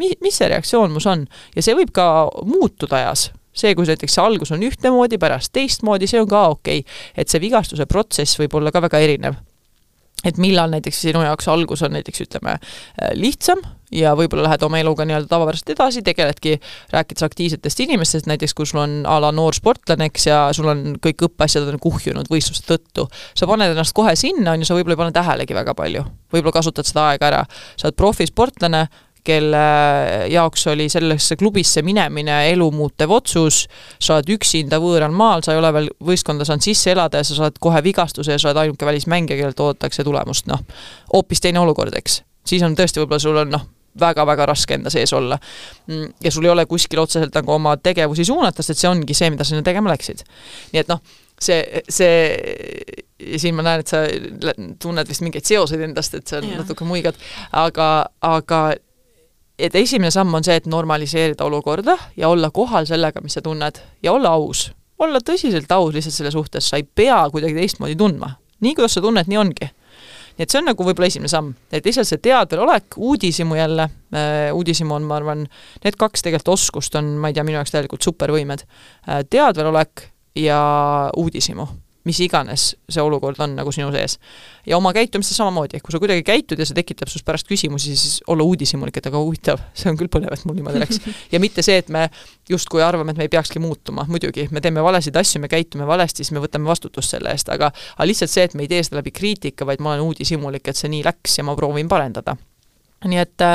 Mi, mis see reaktsioon mus on? Ja see võib ka muutuda ajas. See, kui näiteks see algus on ühtemoodi, pärast teistmoodi, see on ka okei. Et see vigastuse protsess võib olla ka väga erinev. Et millal näiteks sinu jaoks algus on näiteks, ütleme, lihtsam ja võib-olla lähed oma eluga nii-öelda tavapärast edasi, tegeledki rääkides aktiivsetest inimestest, näiteks kui sul on a la noor sportlaneks ja sul on kõik õppeasjad on kuhjunud võistluste tõttu. Sa paned ennast kohe sinna, on ju, sa võib-olla ei pane tähelegi väga palju. Võib-olla kasutad seda aega ära. Sa oled profisportlane, kelle jaoks oli sellesse klubisse minemine elu muutev otsus, sa oled üksinda võõral maal, sa ei ole veel võistkonda saanud sisse elada ja sa saad kohe vigastuse ja sa oled ainuke välismängija, kellelt oodatakse tulemust, noh, hoopis teine olukord, eks. Siis on tõesti võib-olla sul on, noh, väga-väga raske enda sees olla. Ja sul ei ole kuskil otseselt nagu oma tegevusi suunatast, et see ongi see, mida sinna tegema läksid. Nii et noh, see, see ja siin ma näen, et sa tunned vist mingeid seoseid endast, et sa ja. natuke muigad, aga, aga et esimene samm on see, et normaliseerida olukorda ja olla kohal sellega, mis sa tunned ja olla aus. Olla tõsiselt aus lihtsalt selle suhtes, sa ei pea kuidagi teistmoodi tundma. Nii, kuidas sa tunned, nii ongi. Nii et see on nagu võib-olla esimene samm. Et lihtsalt see teadvel olek, uudisimu jälle, äh, uudisimu on, ma arvan, need kaks tegelikult oskust on, ma ei tea, minu jaoks täielikult supervõimed. Äh, teadvel olek ja uudisimu. Mis iganes see olukord on nagu sinu sees. Ja oma käitumistes samamoodi, kui sa kuidagi käitud ja see tekitab sust pärast küsimusi, siis olla uudisimulik, et aga huvitav, see on küll põnev, et mul niimoodi läks. Ja mitte see, et me just kui arvame, et me ei peakski muutuma, muidugi, me teeme valesid asju, me käitume valesti, siis me võtame vastutust selle eest, aga, aga lihtsalt see, et me ei tee seda läbi kriitika, vaid ma olen uudisimulik, et see nii läks ja ma proovin parendada. Nii et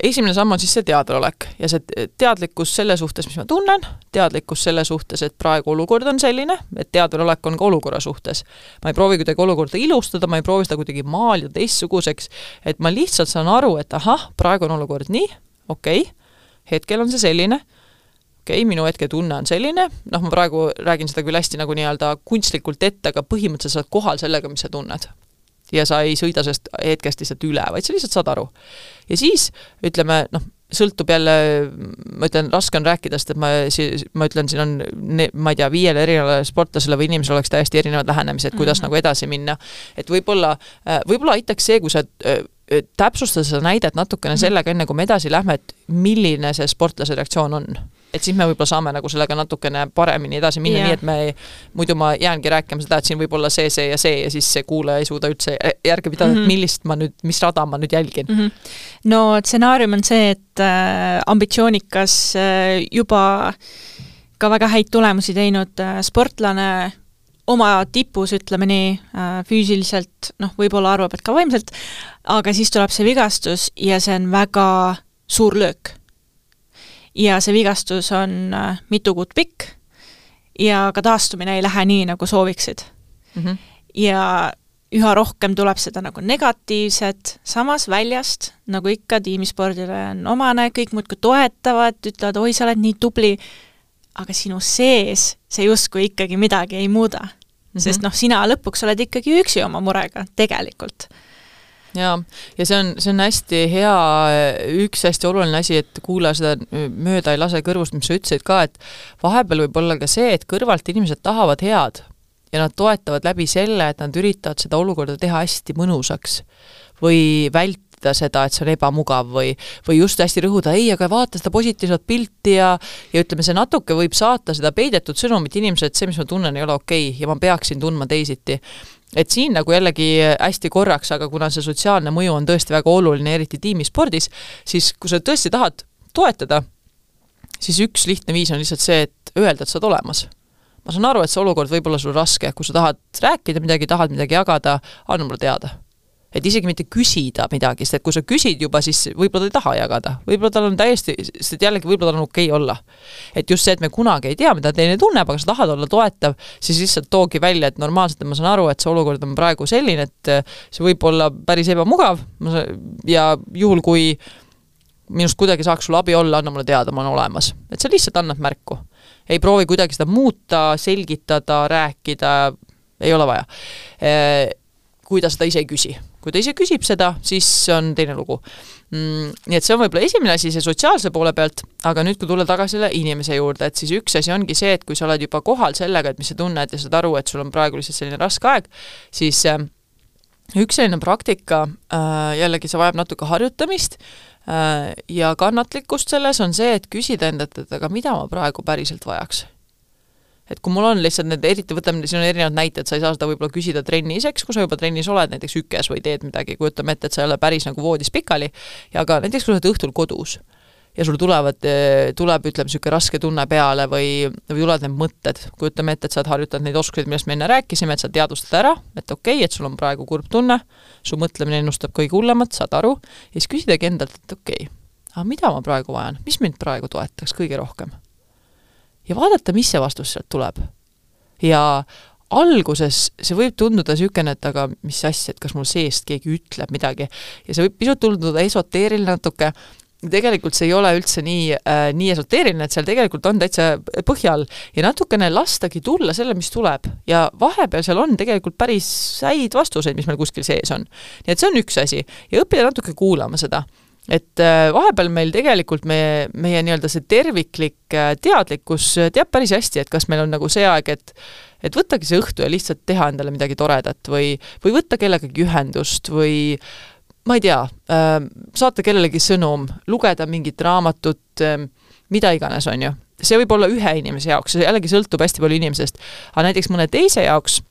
esimene samm on siis see teadvelolek ja see teadlikkus selle suhtes, mis ma tunnen, teadlikkus selle suhtes, et praegu olukord on selline, et teadvelolek on ka olukorra suhtes. Ma ei proovi kuidagi olukorda ilustada, ma ei proovi seda kuidagi maalida teistsuguseks, et ma lihtsalt saan aru, et ahah, praegu on olukord nii, okei, hetkel on see selline, okei, minu hetke tunne on selline, noh, ma praegu räägin seda küll hästi nagu nii-öelda kunstlikult ette, aga põhimõtteliselt saad kohal sellega, mis sa tunned. Ja sa ei sõida sellest hetkest lihtsalt üle, vaid sa lihtsalt saad aru. Ja siis, ütleme, noh, sõltub jälle, ma ütlen, raske on rääkida, sest et ma, ma ütlen, siin on, ma ei tea, viiele erinevale sportlasele või inimesele oleks täiesti erinevad lähenemised, kuidas mm-hmm. nagu edasi minna. Et võib-olla, võib-olla aitaks see, kui sa täpsustada seda näidet natukene sellega, enne kui me edasi lähme, et milline see sportlase reaktsioon on. Et siis me võib-olla saame nagu sellega natukene paremini edasi minna, yeah. nii et me ei, muidu ma jäängi rääkima seda, et siin võib olla see, see ja see ja siis see kuulaja ei suuda üldse järge pidada, mm-hmm. et millist ma nüüd, mis rada ma nüüd jälgin. Mm-hmm. No stsenaarium on see, et äh, ambitsioonikas äh, juba ka väga häid tulemusi teinud äh, sportlane oma tipus, ütleme nii, äh, füüsiliselt, noh, võib-olla arvab, et ka vaimselt, aga siis tuleb see vigastus ja see on väga suur löök. Ja see vigastus on mitu kuud pikk ja ka taastumine ei lähe nii, nagu sooviksid. Mm-hmm. Ja üha rohkem tuleb seda nagu negatiivset, samas väljast, nagu ikka tiimispordile on omane, kõik muudkui toetavad, ütlevad, oi, sa oled nii tubli, aga sinu sees see justkui ikkagi midagi ei muuda. Mm-hmm. Sest noh, sina lõpuks oled ikkagi üksi oma murega, tegelikult. Ja, ja see on, see on hästi hea, üks hästi oluline asi, et kuula seda mööda ei lase kõrvust, mis sa ütlesid ka, et vahepeal võib olla ka see, et kõrvalt inimesed tahavad head ja nad toetavad läbi selle, et nad üritavad seda olukorda teha hästi mõnusaks või vältida seda, et see on ebamugav või, või just hästi rõhuda, ei, aga vaata seda positiivset pilti ja, ja ütleme, see natuke võib saata seda peidetud sõnumit inimesed, et see, mis ma tunnen, ei ole okei ja ma peaksin tundma teisiti. Et siin nagu jällegi hästi korraks, aga kuna see sotsiaalne mõju on tõesti väga oluline, eriti tiimispordis, siis kui sa tõesti tahad toetada, siis üks lihtne viis on lihtsalt see, et öelda, et sa oled olemas. Ma saan aru, et see olukord võib olla sul raske, kui sa tahad rääkida midagi, tahad midagi jagada, anna mulle teada. Et isegi mitte küsida midagi, sest et kui sa küsid juba, siis võib-olla ta ei taha jagada. Võib-olla tal on täiesti, sest jällegi võib-olla tal on okei olla. Et just see, et me kunagi ei tea, mida teine tunneb, aga sa tahad olla toetav, siis lihtsalt toogi välja, et normaalselt ma saan aru, et see olukord on praegu selline, et see võib olla päris ebamugav ja juhul, kui minust kuidagi saaks sul abi olla, anna mulle teada, ma olen olemas. Et sa lihtsalt annad märku. Ei proovi kuidagi seda muuta, selgitada, rääkida, ei ole vaja. Kui ta seda ise ei küsi. Kui ta ise küsib seda, siis on teine lugu. Mm, nii et see on võib-olla esimene asi see sotsiaalse poole pealt, aga nüüd kui tulla tagasi selle inimese juurde, et siis üks asi ongi see, et kui sa oled juba kohal sellega, et mis sa tunned ja saad aru, et sul on praegu lihtsalt selline raske aeg, siis üks selline praktika, jällegi see vajab natuke harjutamist ja kannatlikkust selles on see, et küsida endalt, et aga mida ma praegu päriselt vajaks. Et kui mul on lihtsalt need, eriti võtame, siin on erinevad näited, sa ei saa seda võib-olla küsida trenniseks, kui sa juba trennis oled, näiteks ükes või teed midagi, kujutame ette, et sa ei ole päris nagu voodis pikali, ja aga näiteks kui sa oled õhtul kodus ja sul tulevad, tuleb, ütleme, selline raske tunne peale või, või tulevad need mõtted, kujutame ette, et sa harjutad neid oskuseid, millest me enne rääkisime, et sa teadvustad ära, et okei, et sul on praegu kurb tunne, su mõtlemine ennustab kõige hullemat, saad aru, ja siis küsidagi endalt, et okei, aga mida ma praegu vajan, mis mind praegu toetaks kõige rohkem? Ja vaadata, mis see vastus sealt tuleb. Ja alguses see võib tunduda sükene, et aga mis asja, et kas mul seest keegi ütleb midagi. Ja see võib pisut tunduda esoteeriline natuke. Tegelikult see ei ole üldse nii, äh, nii esoteeriline, et seal tegelikult on täitsa põhjal ja natukene lastagi tulla selle, mis tuleb. Ja vahepeal seal on tegelikult päris häid vastuseid, mis meil kuskil sees on. Nii et see on üks asi. Ja õppida natuke kuulama seda. Et vahepeal meil tegelikult meie, meie nii-öelda see terviklik teadlikkus teab päris hästi, et kas meil on nagu see aeg, et, et võttagi see õhtu ja lihtsalt teha endale midagi toredat või, või võtta kellegagi ühendust või ma ei tea, saata kellelegi sõnum, lugeda mingit raamatut, mida iganes on ju. See võib olla ühe inimese jaoks, see jällegi sõltub hästi palju inimesest, aga näiteks mõne teise jaoks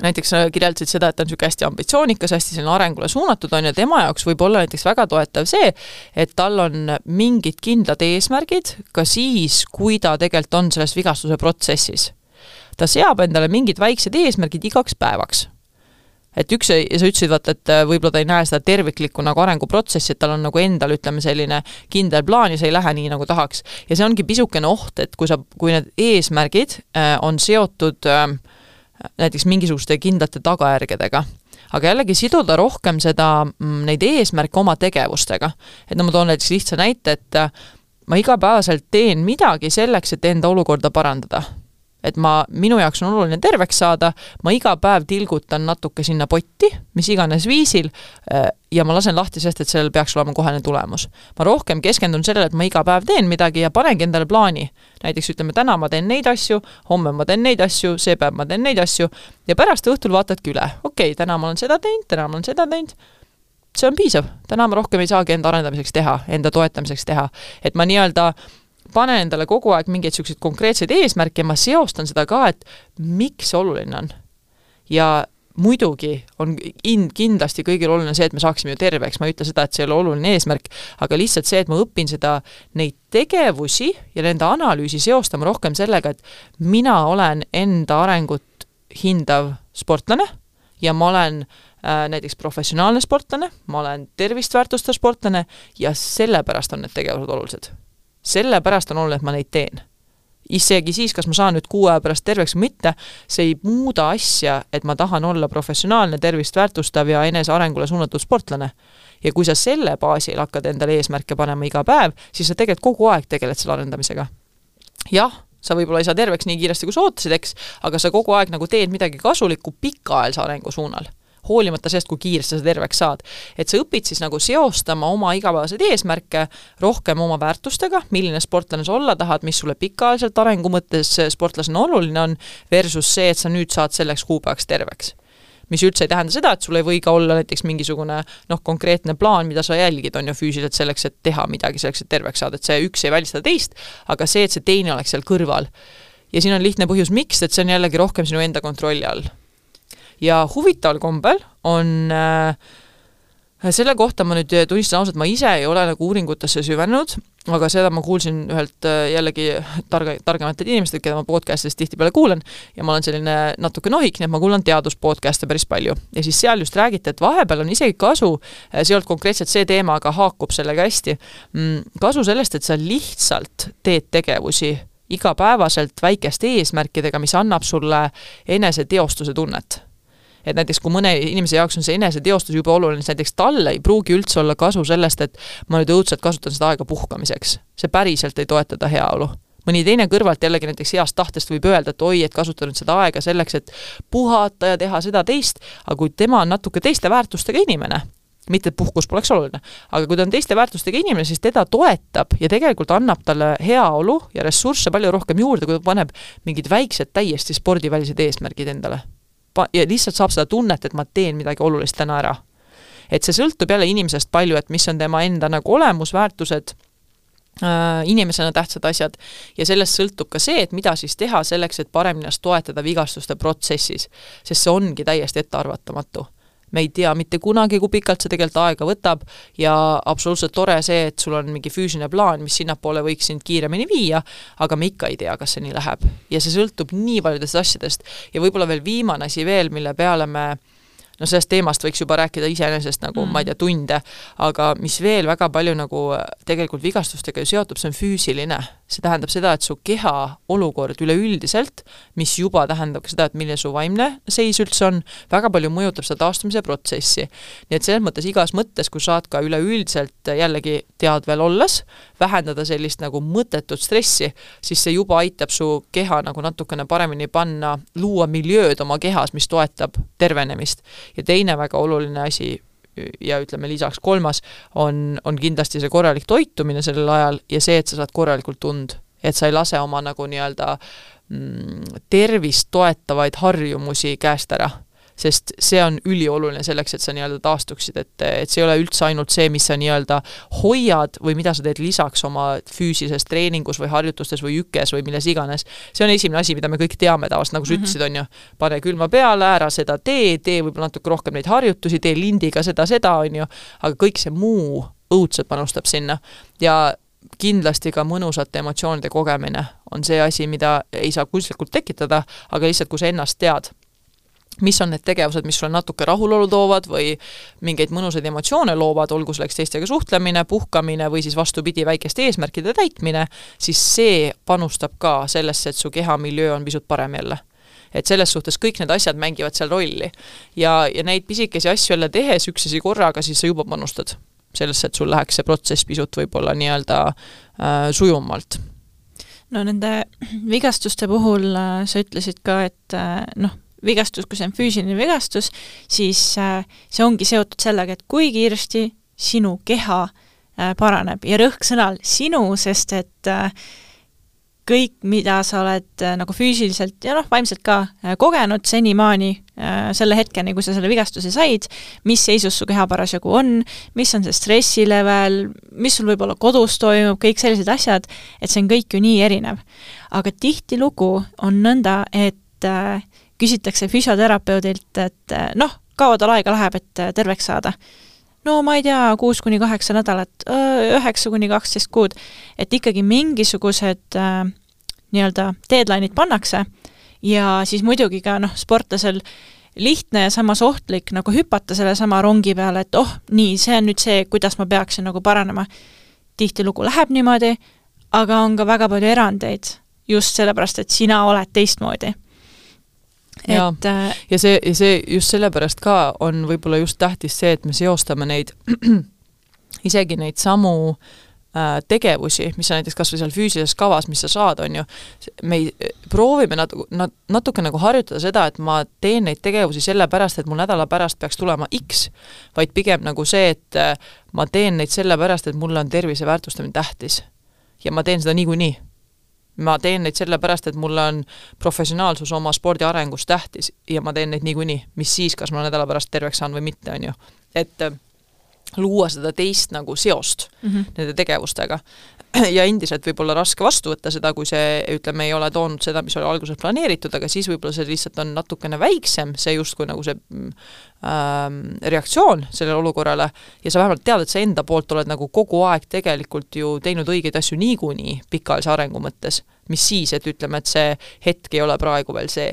näiteks kirjeldasid seda, et ta on niisugune hästi ambitsioonikas, hästi selline arengule suunatud on ja tema jaoks võib olla näiteks väga toetav see, et tal on mingid kindlad eesmärgid ka siis, kui ta tegelikult on selles vigastuse protsessis. Ta seab endale mingid väiksed eesmärgid igaks päevaks. Et üks, ja sa ütlesid, vaata, et võib-olla ta ei näe seda terviklikku nagu arenguprotsessi, et tal on nagu endal, ütleme, selline kindel plaan ja see ei lähe nii, nagu tahaks. Ja see ongi pisukene oht, et kui, sa, kui need eesmärgid on seotud näiteks mingisuguste kindlate tagajärgedega. Aga jällegi siduda rohkem seda, neid eesmärke oma tegevustega. Et no ma toon näiteks lihtsa näite, et ma igapäevaselt teen midagi selleks, et enda olukorda parandada. Et ma, minu jaoks on oluline terveks saada, ma iga päev tilgutan natuke sinna potti, mis iganes viisil, ja ma lasen lahti sest, et sellel peaks olema kohene tulemus. Ma rohkem keskendun sellele, et ma iga päev teen midagi ja panengi endale plaani. Näiteks ütleme, täna ma teen neid asju, homme ma teen neid asju, see päev ma teen neid asju, ja pärast õhtul vaatadki üle. Okei, täna ma olen seda teinud, täna ma olen seda teinud. See on piisav. Täna ma rohkem ei saagi enda arendamiseks teha, enda toetamiseks teha. Et ma nii-öelda panen endale kogu aeg mingeid selliseid konkreetseid eesmärke ja ma seostan seda ka, et miks see oluline on. Ja muidugi on kindlasti kõigil oluline see, et me saaksime ju terveks. Ma ei ütle seda, et see ei ole oluline eesmärk, aga lihtsalt see, et ma õpin seda, neid tegevusi ja nende analüüsi seostama rohkem sellega, et mina olen enda arengut hindav sportlane ja ma olen äh, näiteks professionaalne sportlane, ma olen tervist väärtustav sportlane ja sellepärast on need tegevused olulised. Sellepärast on oluline, et ma neid teen. Isegi siis, kas ma saan nüüd kuu aja pärast terveks või mitte, see ei muuda asja, et ma tahan olla professionaalne, tervist väärtustav ja enese arengule suunatud sportlane. Ja kui sa selle baasil hakkad endale eesmärke panema iga päev, siis sa tegelikult kogu aeg tegeled selle arendamisega. Jah, sa võib-olla ei saa terveks nii kiiresti, kui sa ootasid, eks, aga sa kogu aeg nagu teed midagi kasulikku pikaajalise arengu suunal. Hoolimata sellest, kui kiiresti sa terveks saad. Et sa õpid siis nagu seostama oma igapäevaseid eesmärke rohkem oma väärtustega, milline sportlane sa olla tahad, mis sulle pikaajaliselt arengu mõttes sportlasena oluline on, versus see, et sa nüüd saad selleks kuupäevaks terveks. Mis üldse ei tähenda seda, et sul ei või ka olla näiteks mingisugune noh, konkreetne plaan, mida sa jälgid, on ju füüsiliselt selleks, et teha midagi selleks, et terveks saada, et see üks ei välista teist, aga see, et see teine oleks seal kõrval. Ja siin on lihtne põhjus, miks, et see on jällegi rohkem sinu enda kontrolli all. Ja huvitaval kombel on äh, selle kohta ma nüüd tunnistan ausalt, ma ise ei ole nagu uuringutesse süvenud, aga seda ma kuulsin ühelt äh, jällegi targa, targematelt inimestelt, keda ma podcastist tihtipeale kuulen ja ma olen selline natuke nohik, nii et ma kuulan teaduspodcaste päris palju. Ja siis seal just räägite, et vahepeal on isegi kasu, see ei olnud konkreetselt see teema, aga haakub sellega hästi, kasu sellest, et sa lihtsalt teed tegevusi igapäevaselt väikeste eesmärkidega, mis annab sulle enese teostuse tunnet. et näiteks kui mõne inimese jaoks on see eneseteostus juba oluline, siis näiteks talle ei pruugi üldse olla kasu sellest, et ma nüüd õudselt kasutan seda aega puhkamiseks. See päriselt ei toetada heaolu. Mõni teine kõrvalt jällegi näiteks heast tahtest võib öelda, et oi, et kasutan nüüd seda aega selleks, et puhata ja teha seda teist, aga kui tema on natuke teiste väärtustega inimene, mitte et puhkus poleks oluline, aga kui ta on teiste väärtustega inimene, siis teda toetab ja tegelikult annab talle heaolu ja ressursse palju rohkem juurde, kui ta paneb mingid väiksed täiesti spordivälised eesmärgid endale. Ja lihtsalt saab seda tunnet, et ma teen midagi olulist täna ära. Et see sõltub jälle inimesest palju, et mis on tema enda nagu olemusväärtused, inimesena tähtsad asjad ja sellest sõltub ka see, et mida siis teha selleks, et paremini toetada vigastuste protsessis, sest see ongi täiesti ettearvatamatu. Me ei tea mitte kunagi, kui pikalt see tegelikult aega võtab ja absoluutselt tore see, et sul on mingi füüsiline plaan, mis sinnapoole võiks sind kiiremini viia, aga me ikka ei tea, kas see nii läheb. Ja see sõltub nii paljudest asjadest ja võib-olla veel viimane asi veel, mille peale me no sellest teemast võiks juba rääkida iseenesest nagu, mm. ma ei tea, tunde, aga mis veel väga palju nagu tegelikult vigastustega seotub, see on füüsiline. See tähendab seda, et su keha olukord üleüldiselt, mis juba tähendab ka seda, et milline su vaimne seis üldse on, väga palju mõjutab seda taastumise protsessi. Nii et selles mõttes igas mõttes, kui saad ka üleüldiselt jällegi tead veel olles, vähendada sellist nagu mõttetut stressi, siis see juba aitab su keha nagu natukene paremini panna, luua miljööd oma kehas, mis toetab tervenemist. Ja teine väga oluline asi ja ütleme lisaks kolmas on, on kindlasti see korralik toitumine sellel ajal ja see, et sa saad korralikult tund, et sa ei lase oma nagu nii-öelda mm, tervist toetavaid harjumusi käest ära. Sest see on ülioluline selleks, et sa nii-öelda taastuksid, et, et see ei ole üldse ainult see, mis sa nii-öelda hoiad või mida sa teed lisaks oma füüsilises treeningus või harjutustes või ükes või milles iganes. See on esimene asi, mida me kõik teame tavaliselt, nagu sa mm-hmm. ütlesid, on ju, pane külma peale, ära seda tee, tee võib-olla natuke rohkem neid harjutusi, tee lindiga seda, seda, on ju, aga kõik see muu õudselt panustab sinna ja kindlasti ka mõnusate emotsioonide kogemine on see asi, mida ei saa kunstlikult tekitada, aga lihtsalt, kui sa ennast tead, mis on need tegevused, mis sulle natuke rahulolu toovad või mingeid mõnusaid emotsioone loovad, olgu selleks teistega suhtlemine, puhkamine või siis vastupidi väikeste eesmärkide täitmine, siis see panustab ka sellesse, et su kehamiljöö on pisut parem jälle. Et selles suhtes kõik need asjad mängivad seal rolli. Ja, ja neid pisikesi asju jälle tehes üksesi korraga, siis sa juba panustad sellesse, et sul läheks see protsess pisut võib-olla nii-öelda äh, sujumalt. No nende vigastuste puhul äh, sa ütlesid ka, et äh, noh, vigastus, kui see on füüsiline vigastus, siis see ongi seotud sellega, et kui kiiresti sinu keha paraneb ja rõhk sõnal sinu, sest et kõik, mida sa oled nagu füüsiliselt ja noh, vaimselt ka kogenud senimaani selle hetkeni, kui sa selle vigastuse said, mis seisus su keha parasjagu on, mis on see stressilevel, mis sul võib-olla kodus toimub, kõik sellised asjad, et see on kõik ju nii erinev. Aga tihti lugu on nõnda, et küsitakse füsioterapeudilt, et noh, kaua tal aega läheb, et terveks saada. No ma ei tea, kuus kuni kaheksa nädalat, üheksa kuni kaksteist kuud, et ikkagi mingisugused äh, nii-öelda deadline'id pannakse ja siis muidugi ka noh, sportlasel lihtne ja samas ohtlik nagu hüpata selle sama rongi peale, et oh, nii, see on nüüd see, kuidas ma peaksin nagu paranema. Tihti lugu läheb niimoodi, aga on ka väga palju erandeid just sellepärast, et sina oled teistmoodi. Ja, et, ja, see, ja see just sellepärast ka on võib-olla just tähtis see, et me seostame neid isegi neid samu äh, tegevusi, mis on näiteks kas või seal füüsilises kavas, mis sa saad, on ju, me ei, proovime nat, nat, natuke nagu harjutada seda, et ma teen neid tegevusi sellepärast, et mul nädala pärast peaks tulema X, vaid pigem nagu see, et äh, ma teen neid sellepärast, et mulle on tervise väärtustamine tähtis ja ma teen seda niikuinii. Ma teen neid sellepärast, et mul on professionaalsus oma spordi arengus tähtis ja ma teen neid niikuinii, mis siis, kas ma nädala pärast terveks saan või mitte, on ju. Et luua seda teist nagu seost mm-hmm. nende tegevustega. Ja endiselt võib olla raske vastu võtta seda, kui see, ütleme, ei ole toonud seda, mis oli alguses planeeritud, aga siis võib-olla see lihtsalt on natukene väiksem, see justkui nagu see ähm, reaktsioon sellele olukorrale ja sa vähemalt tead, et sa enda poolt oled nagu kogu aeg tegelikult ju teinud õigeid asju niikuinii pikaajalise arengu mõttes, mis siis, et ütleme, et see hetk ei ole praegu veel see.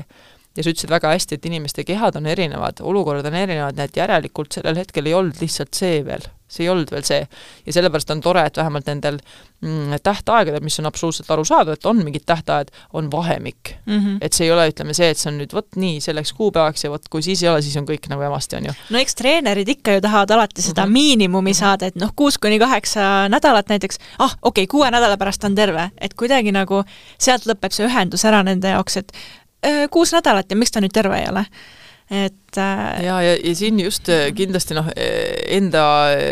Ja sa ütlesid väga hästi, et inimeste kehad on erinevad, olukorrad on erinevad, need järelikult sellel hetkel ei olnud lihtsalt see veel see ei olnud veel see. Ja sellepärast on tore, et vähemalt nendel mm, tähtaegadel, mis on absoluutselt aru saada, et on mingid tähtaed, on vahemik. Mm -hmm. Et see ei ole, ütleme see, et see on nüüd võt nii selleks kuupäevaks ja võt, kui siis ei ole, siis on kõik nagu emasti, on ju. No eks treenerid ikka ju tahavad alati seda mm -hmm. miinimumi saada, et noh, kuus kuni kaheksa nädalat näiteks, ah, okei, okay, kuue nädala pärast on terve, et kuidagi nagu sealt lõpeb see ühendus ära nende jaoks, et öö, kuus nädalat ja miks ta nüüd terve ei ole? Et äh... ja, ja, ja siin just kindlasti noh, enda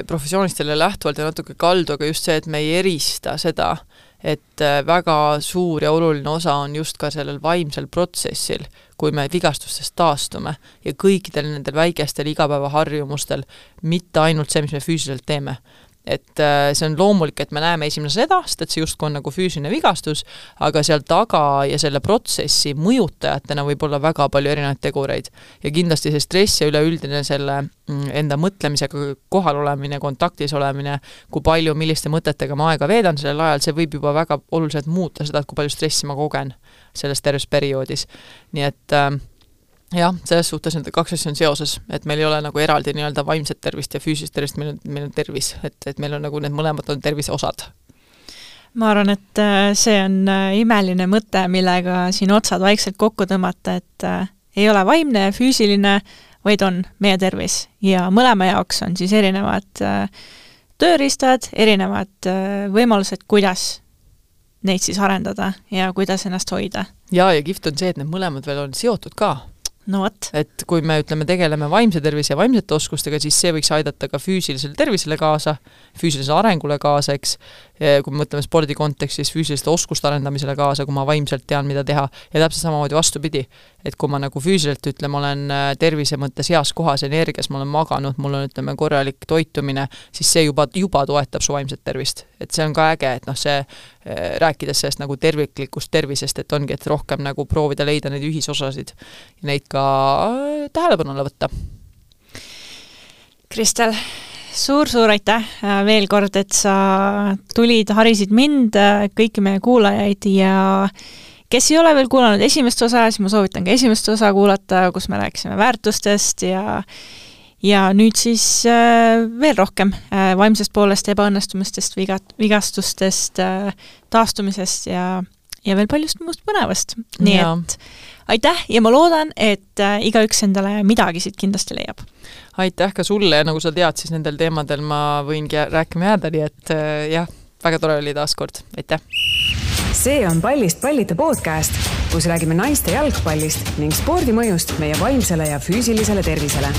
professioonistele lähtuvalt ja natuke kaldu, aga just see, et me ei erista seda, et väga suur ja oluline osa on just ka sellel vaimsel protsessil, kui me vigastustest taastume ja kõikidel nendel väikestel igapäevaharjumustel, mitte ainult see, mis me füüsiliselt teeme. Et see on loomulik, et me näeme esimene seda, sest et see justkui on nagu füüsiline vigastus, aga seal taga ja selle protsessi mõjutajatena võib olla väga palju erinevaid tegureid. Ja kindlasti see stress ja üleüldine selle enda mõtlemisega kohal olemine, kontaktis olemine, kui palju, milliste mõtetega ma aega veedan sellel ajal, see võib juba väga oluliselt muuta seda, et kui palju stressi ma kogen selles terves perioodis. Nii et jah, selles suhtes need kaks asja on seoses, et meil ei ole nagu eraldi nii-öelda vaimset tervist ja füüsilist tervist, meil on, meil on tervis, et, et meil on nagu need mõlemad on tervise osad. Ma arvan, et see on imeline mõte, millega siin otsad vaikselt kokku tõmmata, et ei ole vaimne ja füüsiline, vaid on meie tervis ja mõlema jaoks on siis erinevad tööriistad, erinevad võimalused, kuidas neid siis arendada ja kuidas ennast hoida. Ja, ja kift on see, et need mõlemad veel on seotud ka. No võt. Et kui me ütleme, tegeleme vaimse tervise ja vaimsete oskustega, siis see võiks aidata ka füüsilisele tervisele kaasa, füüsilisele arengule kaasa, eks, kui me mõtleme spordi kontekstis füüsiliste oskuste arendamisele kaasa, kui ma vaimselt tean, mida teha, ja täpselt samamoodi vastupidi, et kui ma nagu füüsiliselt ütleme, olen tervise mõttes heas kohas energias, ma olen maganud, mul on ütleme korralik toitumine, siis see juba, juba toetab su vaimset tervist. Et see on ka äge, et noh, see rääkides sellest nagu terviklikust tervisest, et ongi, et rohkem nagu proovida leida neid ühisosasid ja neid ka tähelepanule võtta. Kristel, suur-suur aitäh veel kord, et sa tulid, harisid mind, kõiki meie kuulajaid ja kes ei ole veel kuulanud esimest osa, siis ma soovitan ka esimest osa kuulata, kus me rääkisime väärtustest ja ja nüüd siis veel rohkem vaimsest poolest, ebaõnnestumistest, vigastustest, taastumisest ja, ja veel paljust muust põnevast. Nii ja. Et aitäh ja ma loodan, et igaüks endale midagi siit kindlasti leiab. Aitäh ka sulle ja nagu sa tead, siis nendel teemadel ma võingi rääkima jääda, nii et jah, väga tore oli taas kord. Aitäh! See on Pallist pallita podcast, kus räägime naiste jalgpallist ning spordimõjust meie vaimsele ja füüsilisele tervisele.